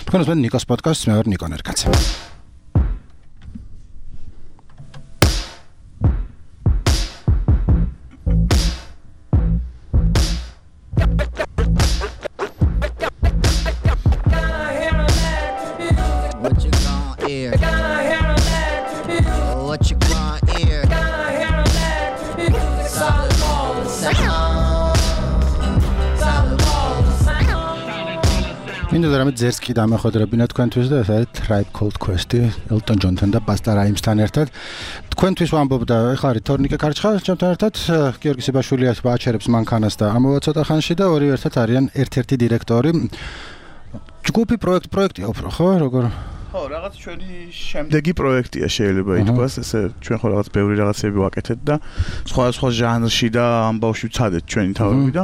თქვენ უსმენთ ნიკოს პოდკასტს, მე ვარ ნიკო ნერკაცი. მინდა რამე ძერს კი დამახოდრებინა თქვენთვის და ეს არის Tribe Called Quest-ი Elton John-თან და Busta Rhymes-თან ერთად. თქვენთვის ვამბობ და ეხლა არის თორნიკე კარჩხა ჩემთან ერთად, გიორგი სიბაშვილი აჩერებს მანქანას და ამოვა ცოტა ხანში და ორივე ერთად არიან ერთ-ერთი დირექტორი. ჯგუფი პროექტია უფრო, ხო? როგორ? ხო, რაღაც ჩვენი შემდეგი პროექტია შეიძლება ითქვას, ესე ჩვენ ხო რაღაც ბევრი რაღაცები ვაკეთეთ და სხვა ჟანრში და ამბავში ვცადეთ ჩვენი თავები და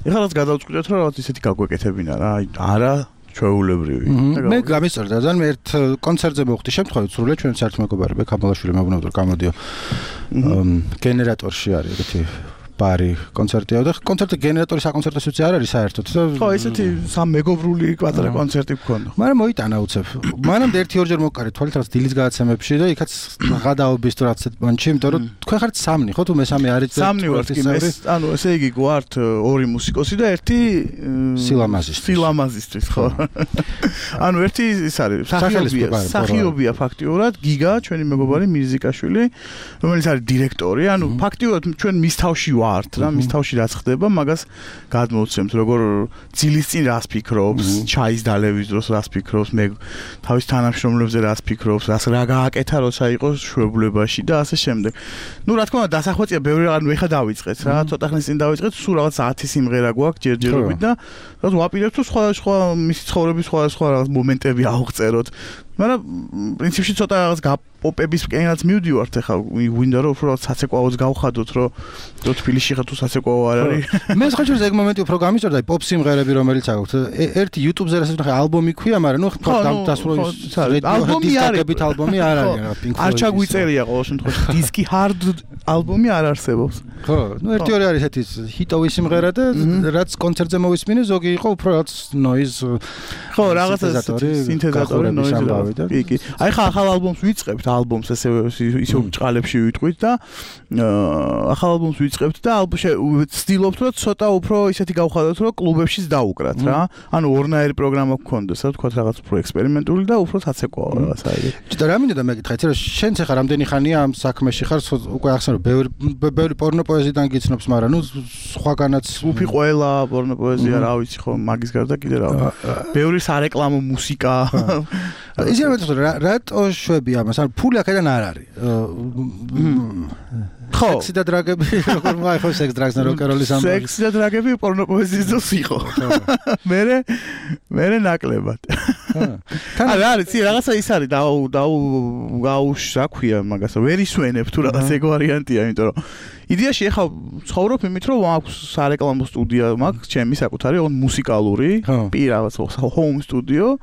ეხლა რაც გადავწყვიტეთ რომ რაღაც ისეთი გაგვეკეთებინა რა, არა ჩვეულებრივი. მე გამისწორდა ძალიან მე ერთ კონცერტზე მოვხდი შემთხვევით სრულიად ჩვენ საერთო მეგობარი ბექამალაშვილი მეუბნებოდა რომ გამოდიო გენერატორში არის ეგეთი ბარი კონცერტია და კონცერტი გენერატორი საკონცერტო სიუცე არ არის საერთოდ. ხო, ესეთი სამეგობრული კვადრატ კონცერტი გქონდა. მაგრამ მოიტანა უცებ. მანამდე 1-2 მოვკარეთ თვალით რაღაც დილის გადაცემებში და იქაც გადაობის თუ რაღაც პონჩი, იმიტომ რომ თქვენ ხართ სამნი, ხო თუ მესამე არის და სამნი ვართ კი მე, ანუ ესე იგი გვართ ორი მუსიკოსი და ერთი სილამაზისტრის, ხო. ანუ ერთი ის არის სახიობია ფაქტიურად გიგა, ჩვენი მეგობარი მირზიკაშვილი, რომელიც არის დირექტორი, ანუ ფაქტიურად ჩვენ მის თავში ვართ რა, მის თავში რაც ხდება, მაგას გადმოვცემთ, როგორ ძილის წინ რას ფიქრობს, ჩაის დალევის დროს რას ფიქრობს, მე თავის თანამშრომლებზე რას ფიქრობს, რა გააკეთა როცა იყო შვებულებაში და ასე შემდეგ. ნუ რა თქმა უნდა დასახვეწია ბევრი რაღაც ეხა დავიწყეთ რა, ცოტა ხნის წინ დავიწყეთ, სულ რაღაც 10 სიმღერა გვაქვს ჯერჯერობით და რაღაც ვაპირებთ თუ სხვა მისი ცხოვრების სხვა რაღაც მომენტები ავღწეროთ. მაგრამ პრინციპში ცოტა რაღაც გაპოპების კენაც მივდივართ ახლა ვინდა რომ უფრო საცეკვაოც გავხადოთ რომ თბილისში ხა თუ საცეკვაო არ არის. მე ხაჭერზე ეგ მომენტი უფრო გამისწორდა პოპ სიმღერები რომელიც აქვთ. ერთი YouTube-ზე რასაც ნახე ალბომი ქვია, მაგრამ ნუ დასრულების ალბომი არის ალბომი არ არის რა Pink Floyd. არ ჩაგვიწერია ყოველ შემთხვევაში დისკი hard ალბომი არ არსებობს. ხო, ნუ ერთი-ორი არის ესეთი ჰიტოვი სიმღერა და რაც კონცერტზე მოვისმინე, ზოგი იყო უფრო რაც noise. ხო, რაღაცა სინთეზატორი noise. კი. აი ხა ახალ ალბომს ვიწყებთ, ალბომს ისე ბრჭყალებში ვიტყვით და ახალ ალბომს ვიწყებთ და ვცდილობთ რომ ცოტა უფრო ისეთი გავხადოთ რომ კლუბებშიც დაუკრათ რა. ანუ ორნაირი პროგრამა გქონდეს, რა თქვა რაღაც უფრო ექსპერიმენტული და უფრო საცეკვაო რაღაც აი. და რა მინდა მეკითხეთ, რომ შენც ახლა რამდენი ხანია ამ საქმეში ხარ, უკვე ახსენე ბევრი პორნო პოეზიიდან გიცნობს, მაგრამ ნუ სხვაგანაც უფი ყველა პორნო პოეზია რა ვიცი ხო, მაგის გარდა კიდე რა. ბევრი სარეკლამო მუსიკა ისე რატო შვები ამას? ანუ ფული აქედან არ არის. ხო, სექსი და დრაგები, როგორ მაიხო სექს დრაგს და როკეროლის ამბავი. სექსი და დრაგები პორნო პოეზიის დროს იყო. მე ნაკლებად. არა, არის რაღაცა ის არის რა ქვია მაგას, ვერ ისვენებ თუ რაღაც ეგ ვარიანტია, იმიტომ რომ იდეაში ახლა ცხოვრობ იმით რომ მაქვს სარეკლამო სტუდია, მაქვს ჩემი საკუთარი მუსიკალური რაღაც home studio,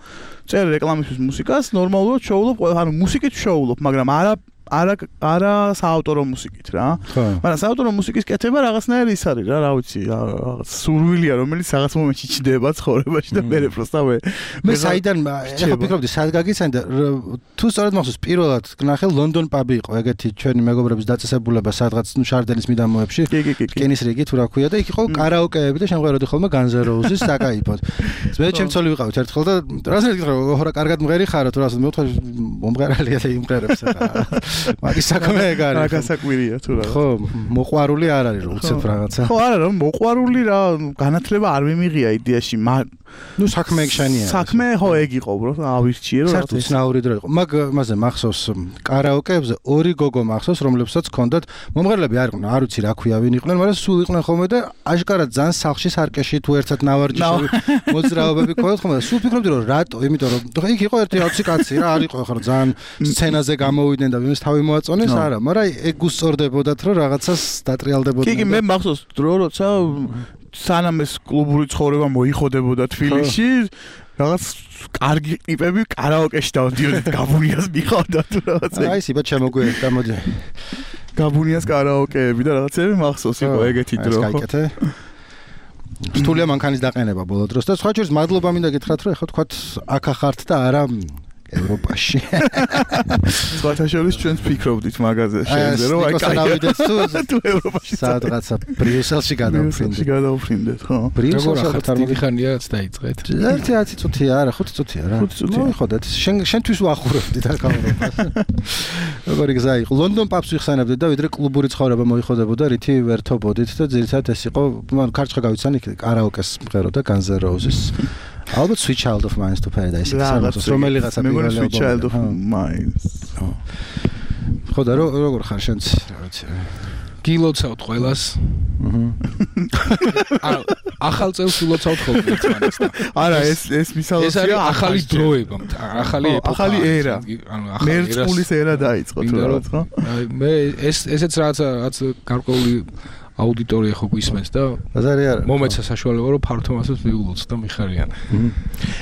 წერ რეკლამისთვის მუსიკას, ნორმალურად შოულობ, ანუ მუსიკით შოულობ, მაგრამ არა საავტორო მუსიკით რა. მაგრამ საავტორო მუსიკის კეთება რაღაცნაირი ის არის რა, რა ვიცი, რაღაც სურვილია, რომელიც რაღაც მომენტში ჩდება ცხოვრებაში და მე პროსტავე. მე საიდან ახლა ფიქრობდი, სად გაგიცანი და თუ სწორად მახსოვს, პირველად ნახე London pub-ი იყო, ეგეთი ჩვენი მეგობრების დაწესებულება, სადღაც ნუ შარდენის მიდამოებში, რკინის რიგი თუ რა ქვია და იქ იყო კარაოკეები და შემღეროდი ხოლმე Guns N' Roses საკაიფოდ. მე ჩემცოლი ვიყავით ერთხელ და რასაც ეკითხა, ხო რა კარგად მღერი ხარო თუ რასაც მეთქვა მომღერალია და იმღერებს ახლა. მაგის საქმე ეგ არის. რა გასაკვირია თუ რა. ხო, მოყვარული არ არის რომ უცებ რაღაცა. ხო, არა რომ მოყვარული რა, განათლება არ მიმიღია იდეაში, ნუ საქმე ეგ შენია. საქმე ხო ეგ იყო, ბრო, ავირჩიე რომ საერთოდ ცნაური დრო იყო. მაგაზე მახსოვს კარაოკეებზე ორი გოგო მახსოვს, რომლებსაც ჰქონდათ მომღერლები არ იყვნენ, არ ვიცი რა ქვია ვინ იყვნენ, მაგრამ სულ იყვნენ ხოლმე და აშკარად ძალიან სახლში სარკეში თუ ერთად ნავარჯიშები მოძრაობები ქონდათ ხოლმე და სულ ფიქრობდი რომ რატო, იმიტომ რომ იქ იყო ერთი 20 კაცი რა, არ იყო ხარ ძალიან სცენაზე გამოვიდნენ და ვინმეს თავი მოაწონეს, არა, მაგრამ ეგ გუსწორდებოდათ რომ რაღაცას დატრიალდებოდნენ. კი, მე მახსოვს დრო როცა სანამ ეს კლუბური ცხოვრება მოიხოდებოდა თბილისში, რაღაც კარგი ტიპები კარაოკეში დავდიოდით, გაბუნიას მიყავდა თუ რაღაცა. აი, სიბა შემოგვიერთდა, მოდი. გაბუნიას კარაოკეები და რაღაცები მახსოვს იყო ეგეთი დრო. ეს გაიკეთე. სტულია მანქანის დაყენება ბოლო დროს და სხვა შორის მადლობა მინდა გითხრათ რომ ეხლა თქვათ აქ ახართ და არა ევროპაში. სხვათა შორის ჩვენს ფიქრობდით მაგაზე შეიძლება რომ აი კაი თუ ევროპაში სადღაცა ბრიუსელში გადავფრინდეთ ხო? როგორ დიდი ხანიაც დაიწყეთ? 10 წუთია არა 5 წუთია რა. მოიხოდეთ შენთვის ვახურებდით აქ ევროპას. როგორი გზა იყო ლონდონ პაბს ვიხსენებდით და ვიდრე კლუბური ცხოვრება მოიხოდებოდა რითი ვერთობოდით და ძირითადად ეს იყო მან კარჩხა გავიცანი კარაოკეს მღეროდა Guns N' Roses. ალბათ Sweet Child of Mine to Paradise ის რომელიღაცა პირველი Sweet Child of Mine. ხო და როგორ ხარ შენც რა ვიცი გილოცავთ ყველას. ახალ წელს ვილოცავთ ხოლმე ერთმანეთს და არა ეს მისალოა ეს არის ახალი დროება ახალი ეპოქა ახალი ერა ანუ მერწყულის ერა დაიწყო თუ რაღაც ხო მე ესეც რაც გარკვეული აუდიტორია ხო გვისმენს და მომეცა საშუალება რომ ფართო მასებს მიულოც და მიხარიან.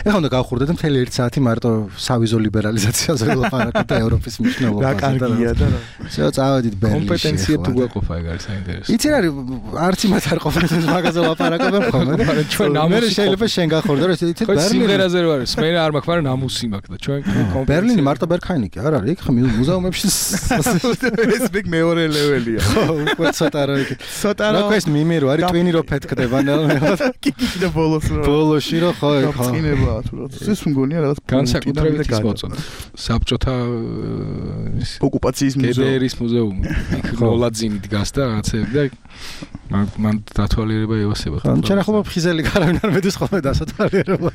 ეხლა უნდა გავხურდეთ მთელი 1 საათი მარტო სავიზო ლიბერალიზაციაზე ვილაპარაკოთ და ევროპის მნიშვნელობაზე. რა კარგია და შეო წავედით ბერლინში. კომპეტენცია თუ გვაყოფა ეგ არის საინტერესო. იცი რა არც იმათ არ ყოფილ მაგაზე ლაპარაკობენ ხოლმე და ჩვენ ნამუსი შეიძლება შენ გახორდა რომ იცი ბერლინი სიმღერაზე რო არის მე არ მაქვს მაგრამ ნამუსი მაქვს და ჩვენ ბერლინი მარტო ბერქაინიკი არ არის იქ ხა მუზეუმებში ეს ბიგ მეორე ლეველია. ხო უკვე ცოტა რა იქ ცოტა რა ეს მიმირო არის ტვინი რო ფეთქდება ნელ-ნელა კიდე ბოლოში რო ხო ხო წინებაა თუ რა ეს მგონია რაღაც განსაკუთრებით ის მოწონა საბჭოთა ოკუპაციის მუზეუმი გედერის მუზეუმი იქ ნოლაძინი დგას და რაღაცები და მან დათვალიერება ევასება ხო ჩვენ ახლა ფხიზელი გარავინ არ მედის ხოლმე დასათვალიერება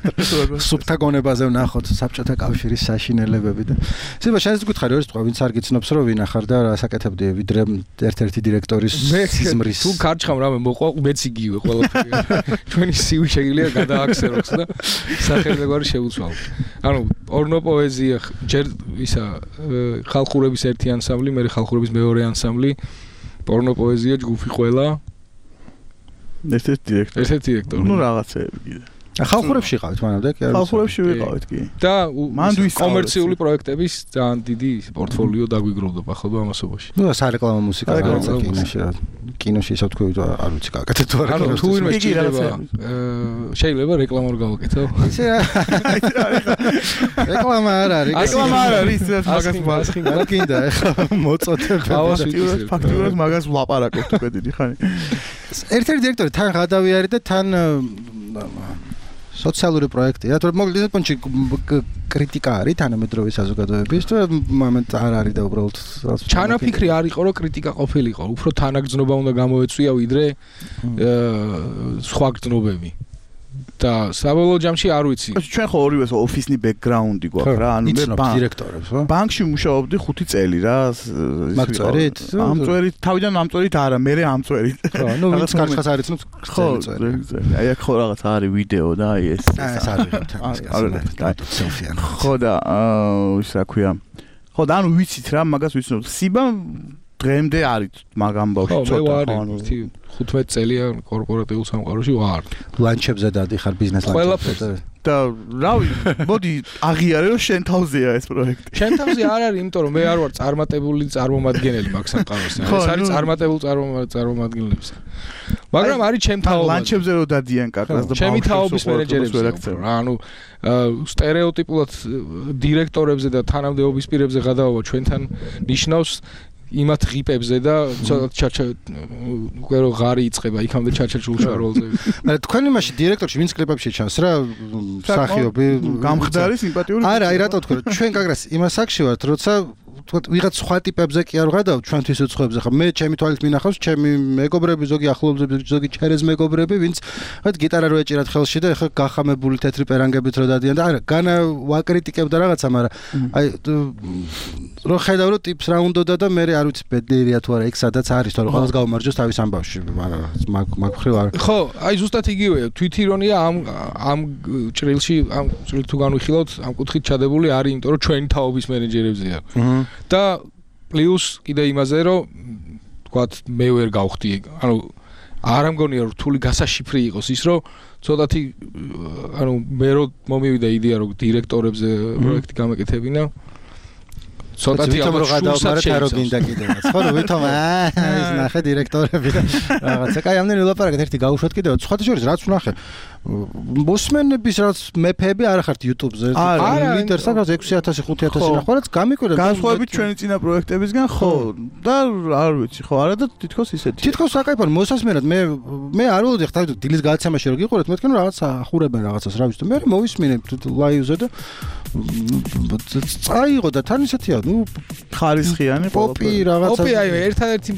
სუბთა გონებაზე ვნახოთ საბჭოთა კავშირის საშინელებები და შეიძლება შენს გითხარი რომ ეს თქვა ვინც არ გიცნობს რომ ვინ ახარ და რასაკეთებდი ვიდრე ერთ-ერთი დირექტორის სიზმრის თუ კარჩხამ რამე მოყვა მეც იგივე ყველაფერი ჩვენი სივი შეიძლება გადააქსეროს და სახელმწიფო შეუცვალო ანუ პორნო პოეზია ჯერ ისა ხალხურების ერთი ანსამბლი მე ხალხურების მეორე ანსამბლი პორნო პოეზია ჯგუფი ყველა ერთ-ერთი დირექტორი ნუ რაღაცეები კიდე ხალხურებში იყავით მანამდე კი არა ხალხურებში ვიყავით კი და კომერციული პროექტების ძალიან დიდი პორტფოლიო დაგვიგროვდა ახლა ამასობაში ნუ სარეკლამო მუსიკა კინოში რა კინოში ისე თქვი არ ვიცი გაკეთეთ თუ არა ანუ თუ ვინმე შეიძლება რეკლამა არ გავაკეთო ისე რეკლამა არ არის რეკლამა არ არის მაგას მაგინდა ეხლა მოწოდება ფაქტურად მაგას ვლაპარაკობთ უკვე დიდი ხანი ერთ-ერთი დირექტორი თან გადავიარი და თან სოციალური პროექტია, თორემ მოკლედ პონჩი კრიტიკა არის თანამედროვე საზოგადოების და მომენტ არ არის და უბრალოდ ჩანაფიქრი არ იყო რომ კრიტიკა ყოფილიყო, უფრო თანაგრძნობა უნდა გამოეწვია ვიდრე სხვა გრძნობები. და საბოლოო ჯამში არ ვიცი. ჩვენ ხო ორივეს ოფისნი ბექგრაუნდი გვაქვს რა, ანუ მე დირექტორებს, ხო? ბანკში მუშაობდი 5 წელი რა. მაგწვერით? ამწვერით, თავიდან ამწვერით არა, მე ამწვერით. ხო, ნუ ვინც კარჩხას არ იცნობს, წელი. აი აქ ხო რაღაც არის ვიდეო და აი ეს. ეს არის სელფიან. ხო და ის რა ქვია. ხო და ანუ ვიცით რა, მაგას ვიცნობ. სიბა დღემდე არის მაგ ამბავში ცოტა ანუ 15 წელია კორპორატიულ სამყაროში ვარ. ლანჩებზე დადიხარ ბიზნეს ლანჩებზე. და რავი, მოდი აღიარე რომ შენ თავზეა ეს პროექტი. შენ თავზე არ არის, იმიტომ რომ მე არ ვარ წარმატებული წარმომადგენელი მაგ სამყაროსთან. ეს არის წარმატებული წარმომადგენლების. მაგრამ არის ჩემ თაობა. ლანჩებზე რო დადიან კაკას და ჩემი თაობის მენეჯერებს რა, ანუ სტერეოტიპულად დირექტორებზე და თანამდებობის პირებზე გადავავა ჩვენთან ნიშნავს იმათ ღიპებზე და ჩაჩა უკვე რო ღარი იწება იქამდე ჩაჩა ჭულშაროლზე. მაგრამ თქვენ იმაში დირექტორში ვინც კლიპებში ჩანს რა მსახიობი გამხდარი სიმპათიური არა აი რატო თქვენ ჩვენ გაგრას იმას აქში ვართ როცა თქვა ვიღაც სხვა ტიპებზე კი არ ვღადავ ჩვენთვის უცხოებზე ხა მე ჩემი თვალით მინახავს ჩემი მეგობრები ზოგი ახლობლები ზოგი ჩერეს მეგობრები ვინც ხა გიტარა რო ეჭირათ ხელში და ხა გახამებული თეთრი პერანგებით რო დადიან და არა განა ვაკრიტიკებდა რაღაცა მაგრამ აი რო ხედავ რომ ტიპს რა უნდოდა და მე არ ვიცი ბედნიერია თუ არა იქ სადაც არის თორე ყველას გავმარჯოს თავის ამბავში მაგ ხრივ არ ხო აი ზუსტად იგივეა თვითირონია ამ ჭრილში ამ ჭრილ თუ განვიხილავთ ამ კუთხით ჩადებული არის იმიტომ რომ ჩვენი თაობის მენეჯერებზეა და პლუს კიდე იმაზე რომ თქვათ მე ვერ გავხდი ანუ არ ამგონია რომ რთული გასაშიფრი იყოს ის რომ ცოტათი ანუ მე რომ მომივიდა იდეა რომ დირექტორებზე პროექტი გამეკეთებინა ცოტათი ალბათ გადავმარეთ არო გინდა კიდევაც ხო ვითომ ის ნახე დირექტორები და რაღაცა კაი ამდენი ვილაპარაკეთ ერთი გავუშვათ კიდევაც სხვათა შორის რაც ვნახე მოსმენების რაც მეფეები არ ხართ YouTube-ზე ლიდერს რაღაც 6000 5000 ნახვა რაც გამიკვირდა განსხვავებით ჩვენი წინა პროექტებისგან ხო და არ ვიცი ხო არა და თითქოს ისეთი თითქოს საკაიფო მოსასმენად მე არ ველოდი ხა დილის გადაცემაში რომ გიყურეთ მეთქენ რომ რაღაც ახურებენ რაღაცას რა ვიცი და მე მოვისმინე ლაივზე და წაიღო და თან ისეთია ნუ ხარისხიანი პოპი რაღაცა პოპი აი ერთადერთი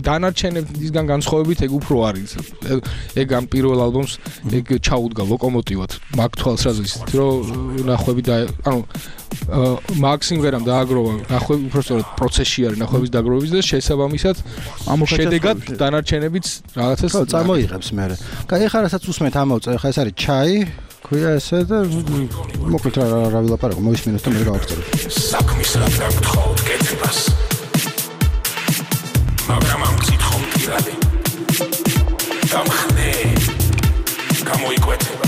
დანარჩენებისგან განსხვავებით ეგ უფრო არის ეგ ამ პირველ ალბომს ეგ ჩაუდგა ლოკომოტივად მაგ თვალსაზრისით რომ ნახვები და ანუ მაქსიმღერამ დააგროვა ნახვები უბრალოდ პროცესში არის ნახვების დაგროვების და შესაბამისად შედეგად დანარჩენებიც რაღაცას წარმოიღებს მე. კაი ხა რასაც უსმენთ ამოვწე ხა ეს არის ჩაი ქვია ესე და მოკლედ რა ვილაპარაკო მოვისმინოთ და მე გავაგრძელებ. საქმის რა გთხოვთ კეთებას მაგრამ ამ გითხოვთ პირადი გამხნე გამოიკვეთება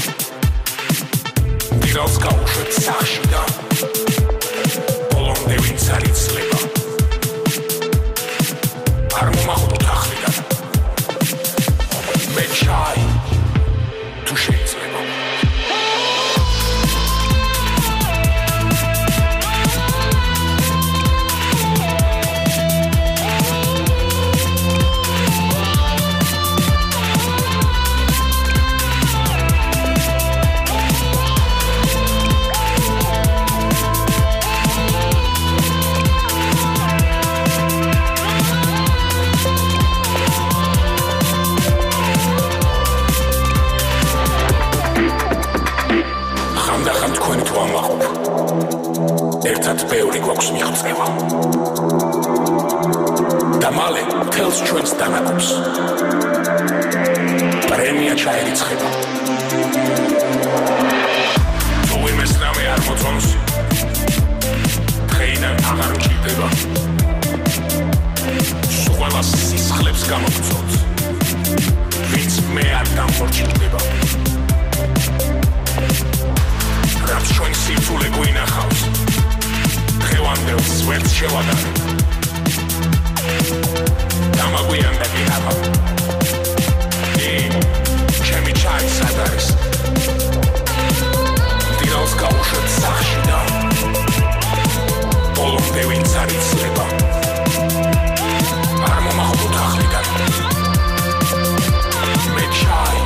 დილს გავუშვებ სახში და ბოლომდე ვინც არ იცლება არ მომახვდოთ ახლიდან მე ჩაი თუ შეიძლება ერთად ბევრი გვაქვს მიღწევა და მალე მთელს ჩვენს დანაყოფს პრემია ჩაერიცხება თუ იმეს რამე არ მოწონს დღეიდან აღარ მჭირდება ყველა სისხლებს გამოგწონს ვინც მე არ დამორჩილდება რაც ჩვენ სირთულე გვინახავს დღევანდელს ვერც შევადარე დამაგვიანდა გინახა ჩემი ჩაი სად არის დილს გავუშვებ სახში და ბოლომდე ვინც არ იცლება არ მომახვდოთ ახლიდან მე ჩაი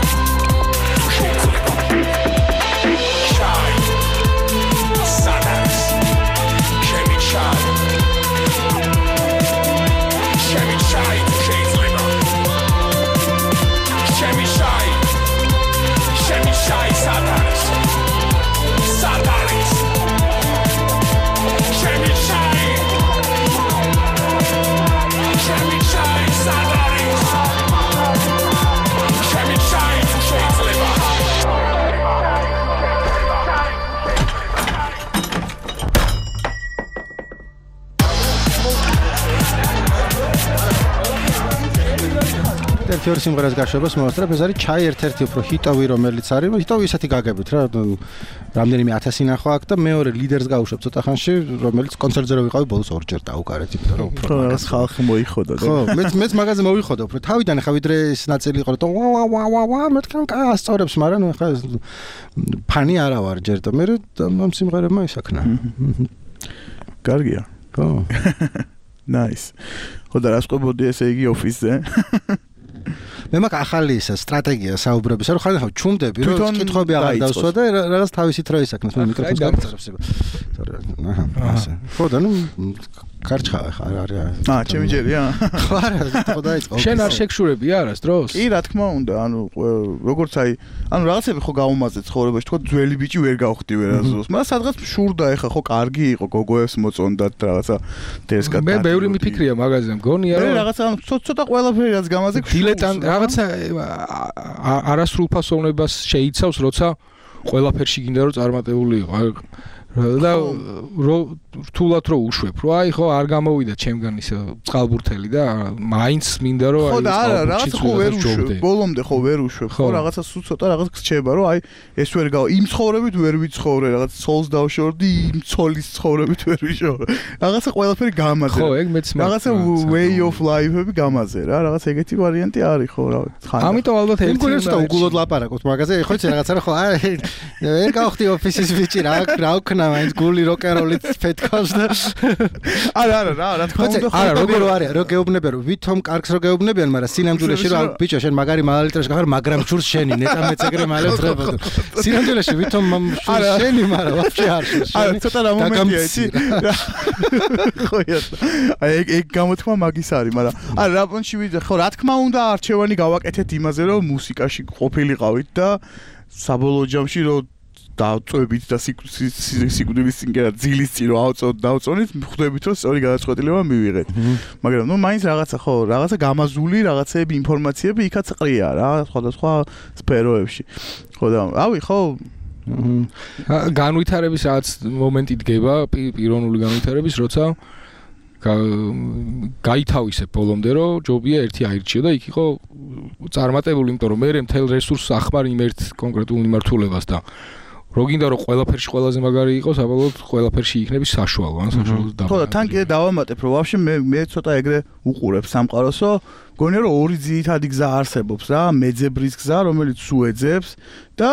თუ შეიძლება თეორიის სიმღერას გაშვებას მოვასწრებ ეს არის ჩაი ერთ-ერთი უფრო ჰიტოვი რომელიც არის ჰიტოვი ისეთი გაგებით რა რამდენიმე 1000 ნახვა აქვს და მეორე ლიდერს გავუშვებ ცოტა ხანში რომელიც კონცერტზე რო ვიყავი ბოლოს ორჯერ დაუკარეთ იმიტომ რომ უფრო მაგას ხალხი მოიხოდა და ხო მეც მაგაზე მოვიხოდა უფრო თავიდან ხა ვიდრე ეს ნაწილი იყო რომ ვა მეთქან ასწორებს მაგრამ ნუ ხა ფანი არა ვარ ჯერ და მე ამ სიმღერებმა ისაქნა კარგია ხო nice ხო და რას ყვებოდი ესე იგი ოფისზე მე მაგ ახალი ის სტრატეგია საუბრებისა რომ ხარ ჩუმდები რომ კითხვები აღარ დავსვა და რაღაც თავისით რა ისაქნას მე მიკროფონს გაგწარებს ასე ხო და ნუ კარჩხავ ხარ არის ჩემი ჯერია ხო არა ხო დაიწყო შენ არ შეგშურები არას დროს კი რა თქმა უნდა ანუ როგორც აი ანუ რაღაცები ხო გაუმაზეთ ცხოვრებაში თქო ძველი ბიჭი ვერ გავხდი ვერასდროს მაგრამ სადღაც შურდა ეხა ხო კარგი იყო გოგოებს მოწონდათ რაღაცა დესკა მე ბევრი მიფიქრია მაგაზე მგონია რომ რაღაცა ცოტა ყველაფერი რაც გამაზე დილეტანტ რაღაცა არასრულფასოვნებას შეიცავს როცა ყველაფერში გინდა რომ წარმატებული იყო და რთულად რო უშვებ, რომ აი ხო არ გამოვიდა ჩემგან ისე წყალბურთელი და მაინც მინდა რომ აი ხო და არა რაღაცა ხო ვერ უშვებ, ბოლომდე ხო ვერ უშვებ, ხო რაღაცა სულ ცოტა რაღაც გრჩება, რომ აი ეს ვერ გავა, იმ ცხოვრებით ვერ ვიცხოვრე, რაღაც ცოლს დავშორდი, იმ ცოლის ცხოვრებით ვერ ვიშორე. რაღაცა ყველაფერი გამაძე. ხო, ეგ მეც რაღაცა way of life-ები გამაძე რა, რაღაც ეგეთი ვარიანტი არის ხო რა. ამიტომ ალბათ ერთი უნდა უგულოდ ლაპარაკობთ მაგაზე, ხო იცი რაღაცა რა ხო აი ვერ გავხდი ოფისის ბიჭი რა ვქნა მაინც გული როკეროლით ფეთქავს და არა რა თქმა უნდა არა როგორ არის რო გეუბნებიან რომ ვითომ კარგს რო გეუბნებიან მაგრამ სინამდვილეში რომ ბიჭო შენ მაგარი მალალიტრაში გახარ მაგრამ შურს შენი ნეტა მეც ეგრე მალე ვწრებოდ სინამდვილეში ვითომ შურს შენი მაგრამ ვაფშე არ შურს არა ცოტა რა მომენტია იცი ხო აი ეგ გამოთქმა მაგის არის მაგრამ არა რა პონჩი ვიდე ხო რა თქმა უნდა არჩევანი გავაკეთეთ იმაზე რომ მუსიკაში ყოფილიყავით და საბოლოო ჯამში რომ დავწვევით და სიკვდილის წინ კი არა ძილის წინ რომ დავწონით ხვდებით რომ სწორი გადაწყვეტილება მივიღეთ მაგრამ ნუ მაინც რაღაცა ხო რაღაცა გამაზული რაღაცეები ინფორმაციები იქაც ყრია რა სხვადასხვა სფეროებში ხო და რავი ხო განვითარების რაღაც მომენტი დგება პიროვნული განვითარების როცა გაითავისებ ბოლომდე რომ ჯობია ერთი აირჩიო და იქ იყო წარმატებული იმიტომ რომ მე მთელ რესურსს ახმარ იმ ერთ კონკრეტულ მიმართულებას და რო გინდა რომ ყველაფერში ყველაზე მაგარი იყოს საბოლოოდ ყველაფერში იქნები საშუალო ან საშუალო და ხო და თან კიდე დავამატებ რომ ვაფშე მე ცოტა ეგრე უყურებ სამყაროსო გონია რომ ორი ძირითადი გზა არსებობს რა მეძებრის გზა რომელიც უეძებს და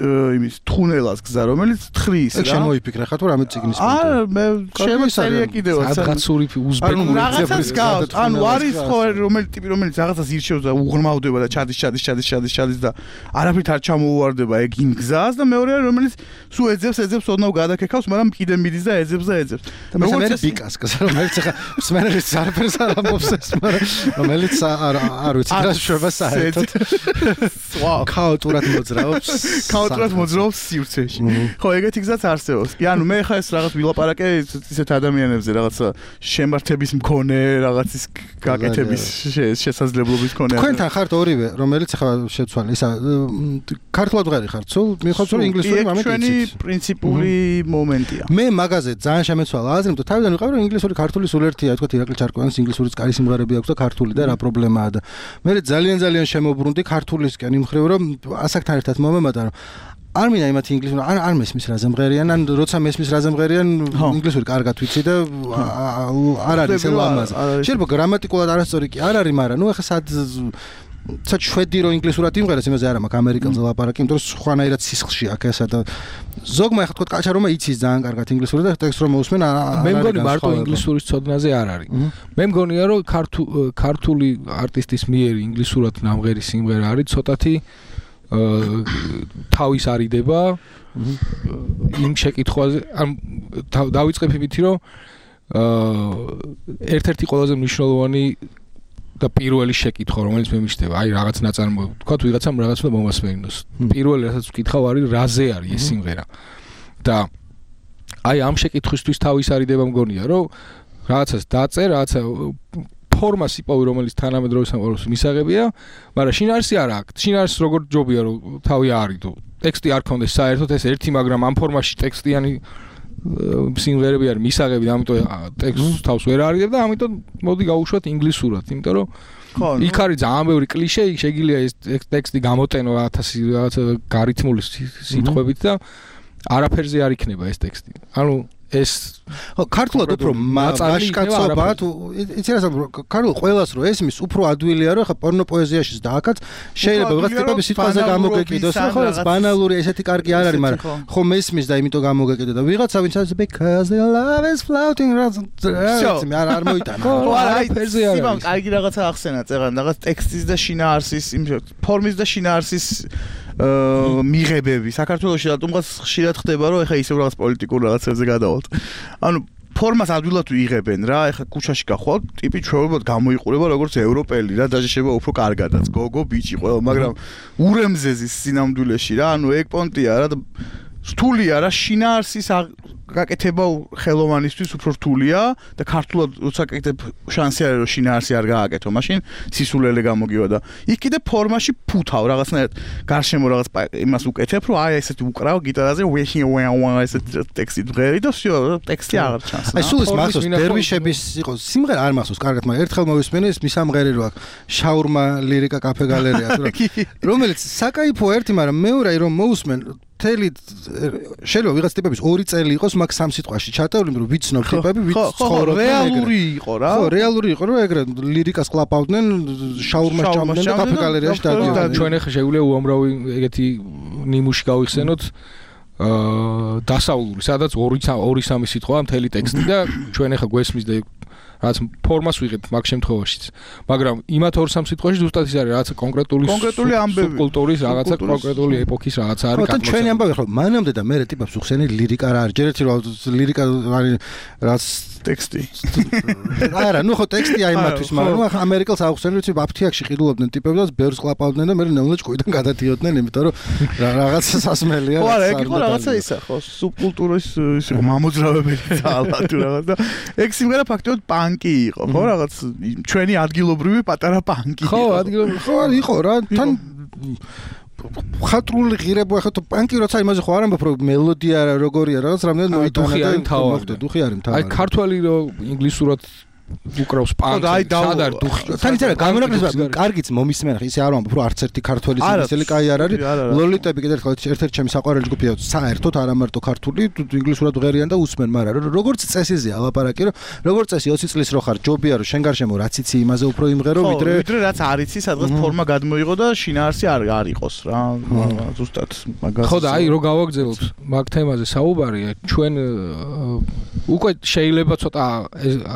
იმის თხუნელას გზა რომელიც თხრის რა შემოიფიქრე ხა თუ რამე ციგნის არა მე შემოწერია კიდევაც რაღაცური უზბეკური მეძებრის გზა ანუ არის ხო რომელი ტიპი რომელიც რაღაცას ირჩევს და უღრმავდება და ჩადის და არაფრით არ ჩამოუვარდება ეგ იმ გზას და მეორე რომელიც სულ ეძებს ოდნავ გადაკექავს მაგრამ კიდე მიდის და ეძებს და მე ბიკას გზა რომელიც ხა სმენერის არაფერს არ ამბობს ეს მაგრამ რომელიც არ ვიცი რა შევა საერთოდ ქაოტურად მოძრაობს სივრცეში. ხო, ეგეთი გზაც არსებობს. კი, ანუ მე ხა ეს რაღაც ვილაპარაკე ისეთ ადამიანებზე, რაღაცა შემართების მქონე, რაღაცის გაკეთების შესაძლებლობის მქონე. თქვენთან ხართ ორივე, რომელიც ხა შეცვალე, ისა ქართულად ვღარი ხართ, სულ მიხოთ რომ ინგლისური მომენტი იცით. ჩვენი პრინციპული მომენტია. მე მაგაზე ძალიან შემეცვალა აზრი, იმიტომ თავიდან ვიყავი რომ ინგლისური ქართული სულ ერთია, თქვა ირაკლი ჩარკვიანის ინგლისურიც კარი სიმღერები აქვს და ქართული და რა პრობლემაა და მე ძალიან შემოbrunდი ქართულისკენ იმ ხრივ რომ ასაკთან ერთად მომემატა რომ არ მინდა იმათ ინგლისური არ მესმის რა ზემღერიან ან როცა მესმის რა ზემღერიან ინგლისური კარგად ვიცი და არ არის ლამაზი შეიძლება გრამატიკულად არასწორი კი არ არის მაგრამ ნუ ახლა სად შვედი რო ინგლისურად იმღერეს იმაზე არა მაქვს ამერიკელზე ლაპარაკი იმიტომ რომ სხვანაირად სისხლში აქ ესა და ზოგმა ახლა თქვა კაჩა რომ იცის ძალიან კარგად ინგლისური და ტექსტ რომ მოусმენ მე მგონი მარტო ინგლისურის ცოდნაზე არ არის მე მგონია რომ ქართული არტისტის მიერ ინგლისურად ნამღერი სიმღერა არის ცოტათი თავის არიდება იმ შეკითხვაზე ან დავიწყებ იმით რომ ერთ-ერთი ყველაზე მნიშვნელოვანი და პირველი შეკითხვა რომელიც მე მიშდება აი რაღაც ნაწარმოები თქვა თუ ვიღაცამ რაღაც უნდა მომასმენინოს პირველი რასაც ვკითხავ არის რაზე არის ეს სიმღერა და აი ამ შეკითხვისთვის თავის არიდება მგონია რომ რაღაცას დაწერ რაღაცა ფორმას იპოვი რომელიც თანამედროვე სამყაროს მისაღებია, მაგრამ შინაარსი არ აქვს. შინაარსს როგორ ჯობია რომ თავი არიდო. ტექსტი არ ქონდეს საერთოდ ეს ერთი, მაგრამ ამ ფორმაში ტექსტიანი სიმღერები არის მისაღები და ამიტომ ტექსტს თავს ვერ არიდებ და ამიტომ მოდი გავუშვათ ინგლისურად, იმიტომ რომ იქ არის ძალიან ბევრი კლიშე, იქ შეგიძლია ეს ტექსტი გამოტენო 1000 რაღაცა გარითმული სიტყვებით და არაფერზე არ იქნება ეს ტექსტი. ანუ ეს ქართულად უფრო მაშკაცობა თუ იცი რა ქართულ ყველას რო ესმის უფრო ადვილია რომ ხა პორნო პოეზიაშიც დააკაც შეიძლება ვიღაც ტიპების სიტყვაზე გამოგეკიდოს ხო ეს ბანალური ესეთი კარგი არ არის მაგრამ ხო მესმის და იმიტომ გამოგეკიდო და ვიღაცა ვინც არის because the love is floating me არ მოიტანა ხო არა ფერზე არის სიმამ კარგი რაღაცა ახსენა წერან რაღაც ტექსტის და შინაარსის იმ ფორმის და შინაარსის მიღებები საქართველოში რატომღაც ხშირად ხდება რომ ეხა ისევ რაღაც პოლიტიკურ რაღაცებზე გადავალთ ანუ ფორმას ადვილად ვიღებენ რა ეხა ქუჩაში გახვალ ტიპი ჩვეულებრივ გამოიყურება როგორც ევროპელი რა დაჟეშება უფრო კარგადაც გოგო ბიჭი ყველა მაგრამ ურემზეზის სინამდვილეში რა ანუ ეგ პონტია რა რთულია რა შინაარსის გაკეთება ხელოვანისთვის უფრო რთულია და ქართულად როცა გაკეთებ შანსი არის რომ შინაარსი არ გააკეთო, მაშინ სისულელე გამოგივა და იქ კიდე ფორმაში ფუთავ რაღაცნაირად გარშემო რაღაც იმას უკეთებ, რომ აი ესეთი უკრავ გიტარაზე ესეთი ტექსტი დღერი და всё, ტექსტი აღარ ჩანს. აი სულ ის მახსოვს დერვიშების იყო სიმღერა არ მახსოვს კარგად, მაგრამ ერთხელ მოვისმენე ის მისამღერი რო აქვს შაურმა ლირიკა კაფე გალერეა თუ რა რომელიც საკაიფო ერთი, მაგრამ მეორე რომ მოусმენ თელი შეიძლება ვიღაც ტიპების 2 წელი იყოს მაგ სამ სიტყვაში ჩატეული, რომ ვიცნობ ტიპები, ვიც ცხოვრობენ. რეალური იყო რა. ხო, რეალური იყო, რომ ეგრე ლირიკას კლაპავდნენ, შაურმას ჭამდნენ და კაფე გალერეაში დადიოდნენ. ჩვენ ახლა შეგვიძლია უამრავი ეგეთი ნიმუში გავიხსენოთ დასავლური, სადაც 2-3 სიტყვაა მთელი ტექსტი და ჩვენ ახლა გვესმის და რაც ფორმას ვიღებთ მაგ შემთხვევაშიც. მაგრამ იმათ 2-3 სიტყვაში ზუსტად ის არის, რაღაცა კონკრეტული ამბები, კულტურის რაღაცა კონკრეტული ეპოქის რაღაცა არის. ხო, ჩვენი ამბავი ხო, მანამდე და მე ტიპებს უხსენი ლირიკა რა არის. ჯერ ერთი რომ ლირიკა არის რაც ტექსტი. არა, ნუ ხო ტექსტი აი მათთვის, მაგრამ ნუ ამერიკელს აუხსენ, ვიცი, აფთიაქში ყიდულობდნენ ტიპები და ბევრს კლაპავდნენ და მე ნელ-ნელა ჭკუიდან გადადიოდნენ, იმიტომ რომ რაღაცა სასმელია. ხო, არა, ეგ იყო რაღაცა ისა, ხო, სუბკულტურის ის იყო მამოძრავებელი ძალა თუ რაღაც და ეგ სიმღერა ფაქტობრივად პანკი იყო, ხო, რაღაც ჩვენი ადგილობრივი პატარა პანკი. ხო, ადგილობრივი ხო, იყო რა, თან ხატრული ღირებო ახლა თუ პანკი როცა იმაზე ხო არ ამბობ რომ მელოდია როგორია რაღაც რამდენად მოიტანა და მოხდა დუხი არის მთავარი. აი ქართველი რომ ინგლისურად უკრავს პანკს. სადარ დუხი. თან იცი რა გამონაკლისს კარგიც მომისმენ ხა ისე არ ვამბობ რომ არც ერთი ქართველის ინგლისელი კაი არ არის. ლოლიტები კიდევ ერთ-ერთი ჩემი საყვარელი ჯგუფია საერთოდ არა მარტო ქართული ინგლისურად ღერიან და უსმენ, მაგრამ როგორც წესიზეა ლაპარაკი რომ როგორც წესი 20 წლის რო ხარ ჯობია რომ შენ გარშემო რაც იცი იმაზე უფრო იმღერო ვიდრე რაც არ იცი სადღაც ფორმა გადმოიღო და შინაარსი არ იყოს რა ზუსტად მაგას. ხო და აი რო გავაგზავნოთ მაგ თემაზე საუბარი ჩვენ უკვე შეიძლება ცოტა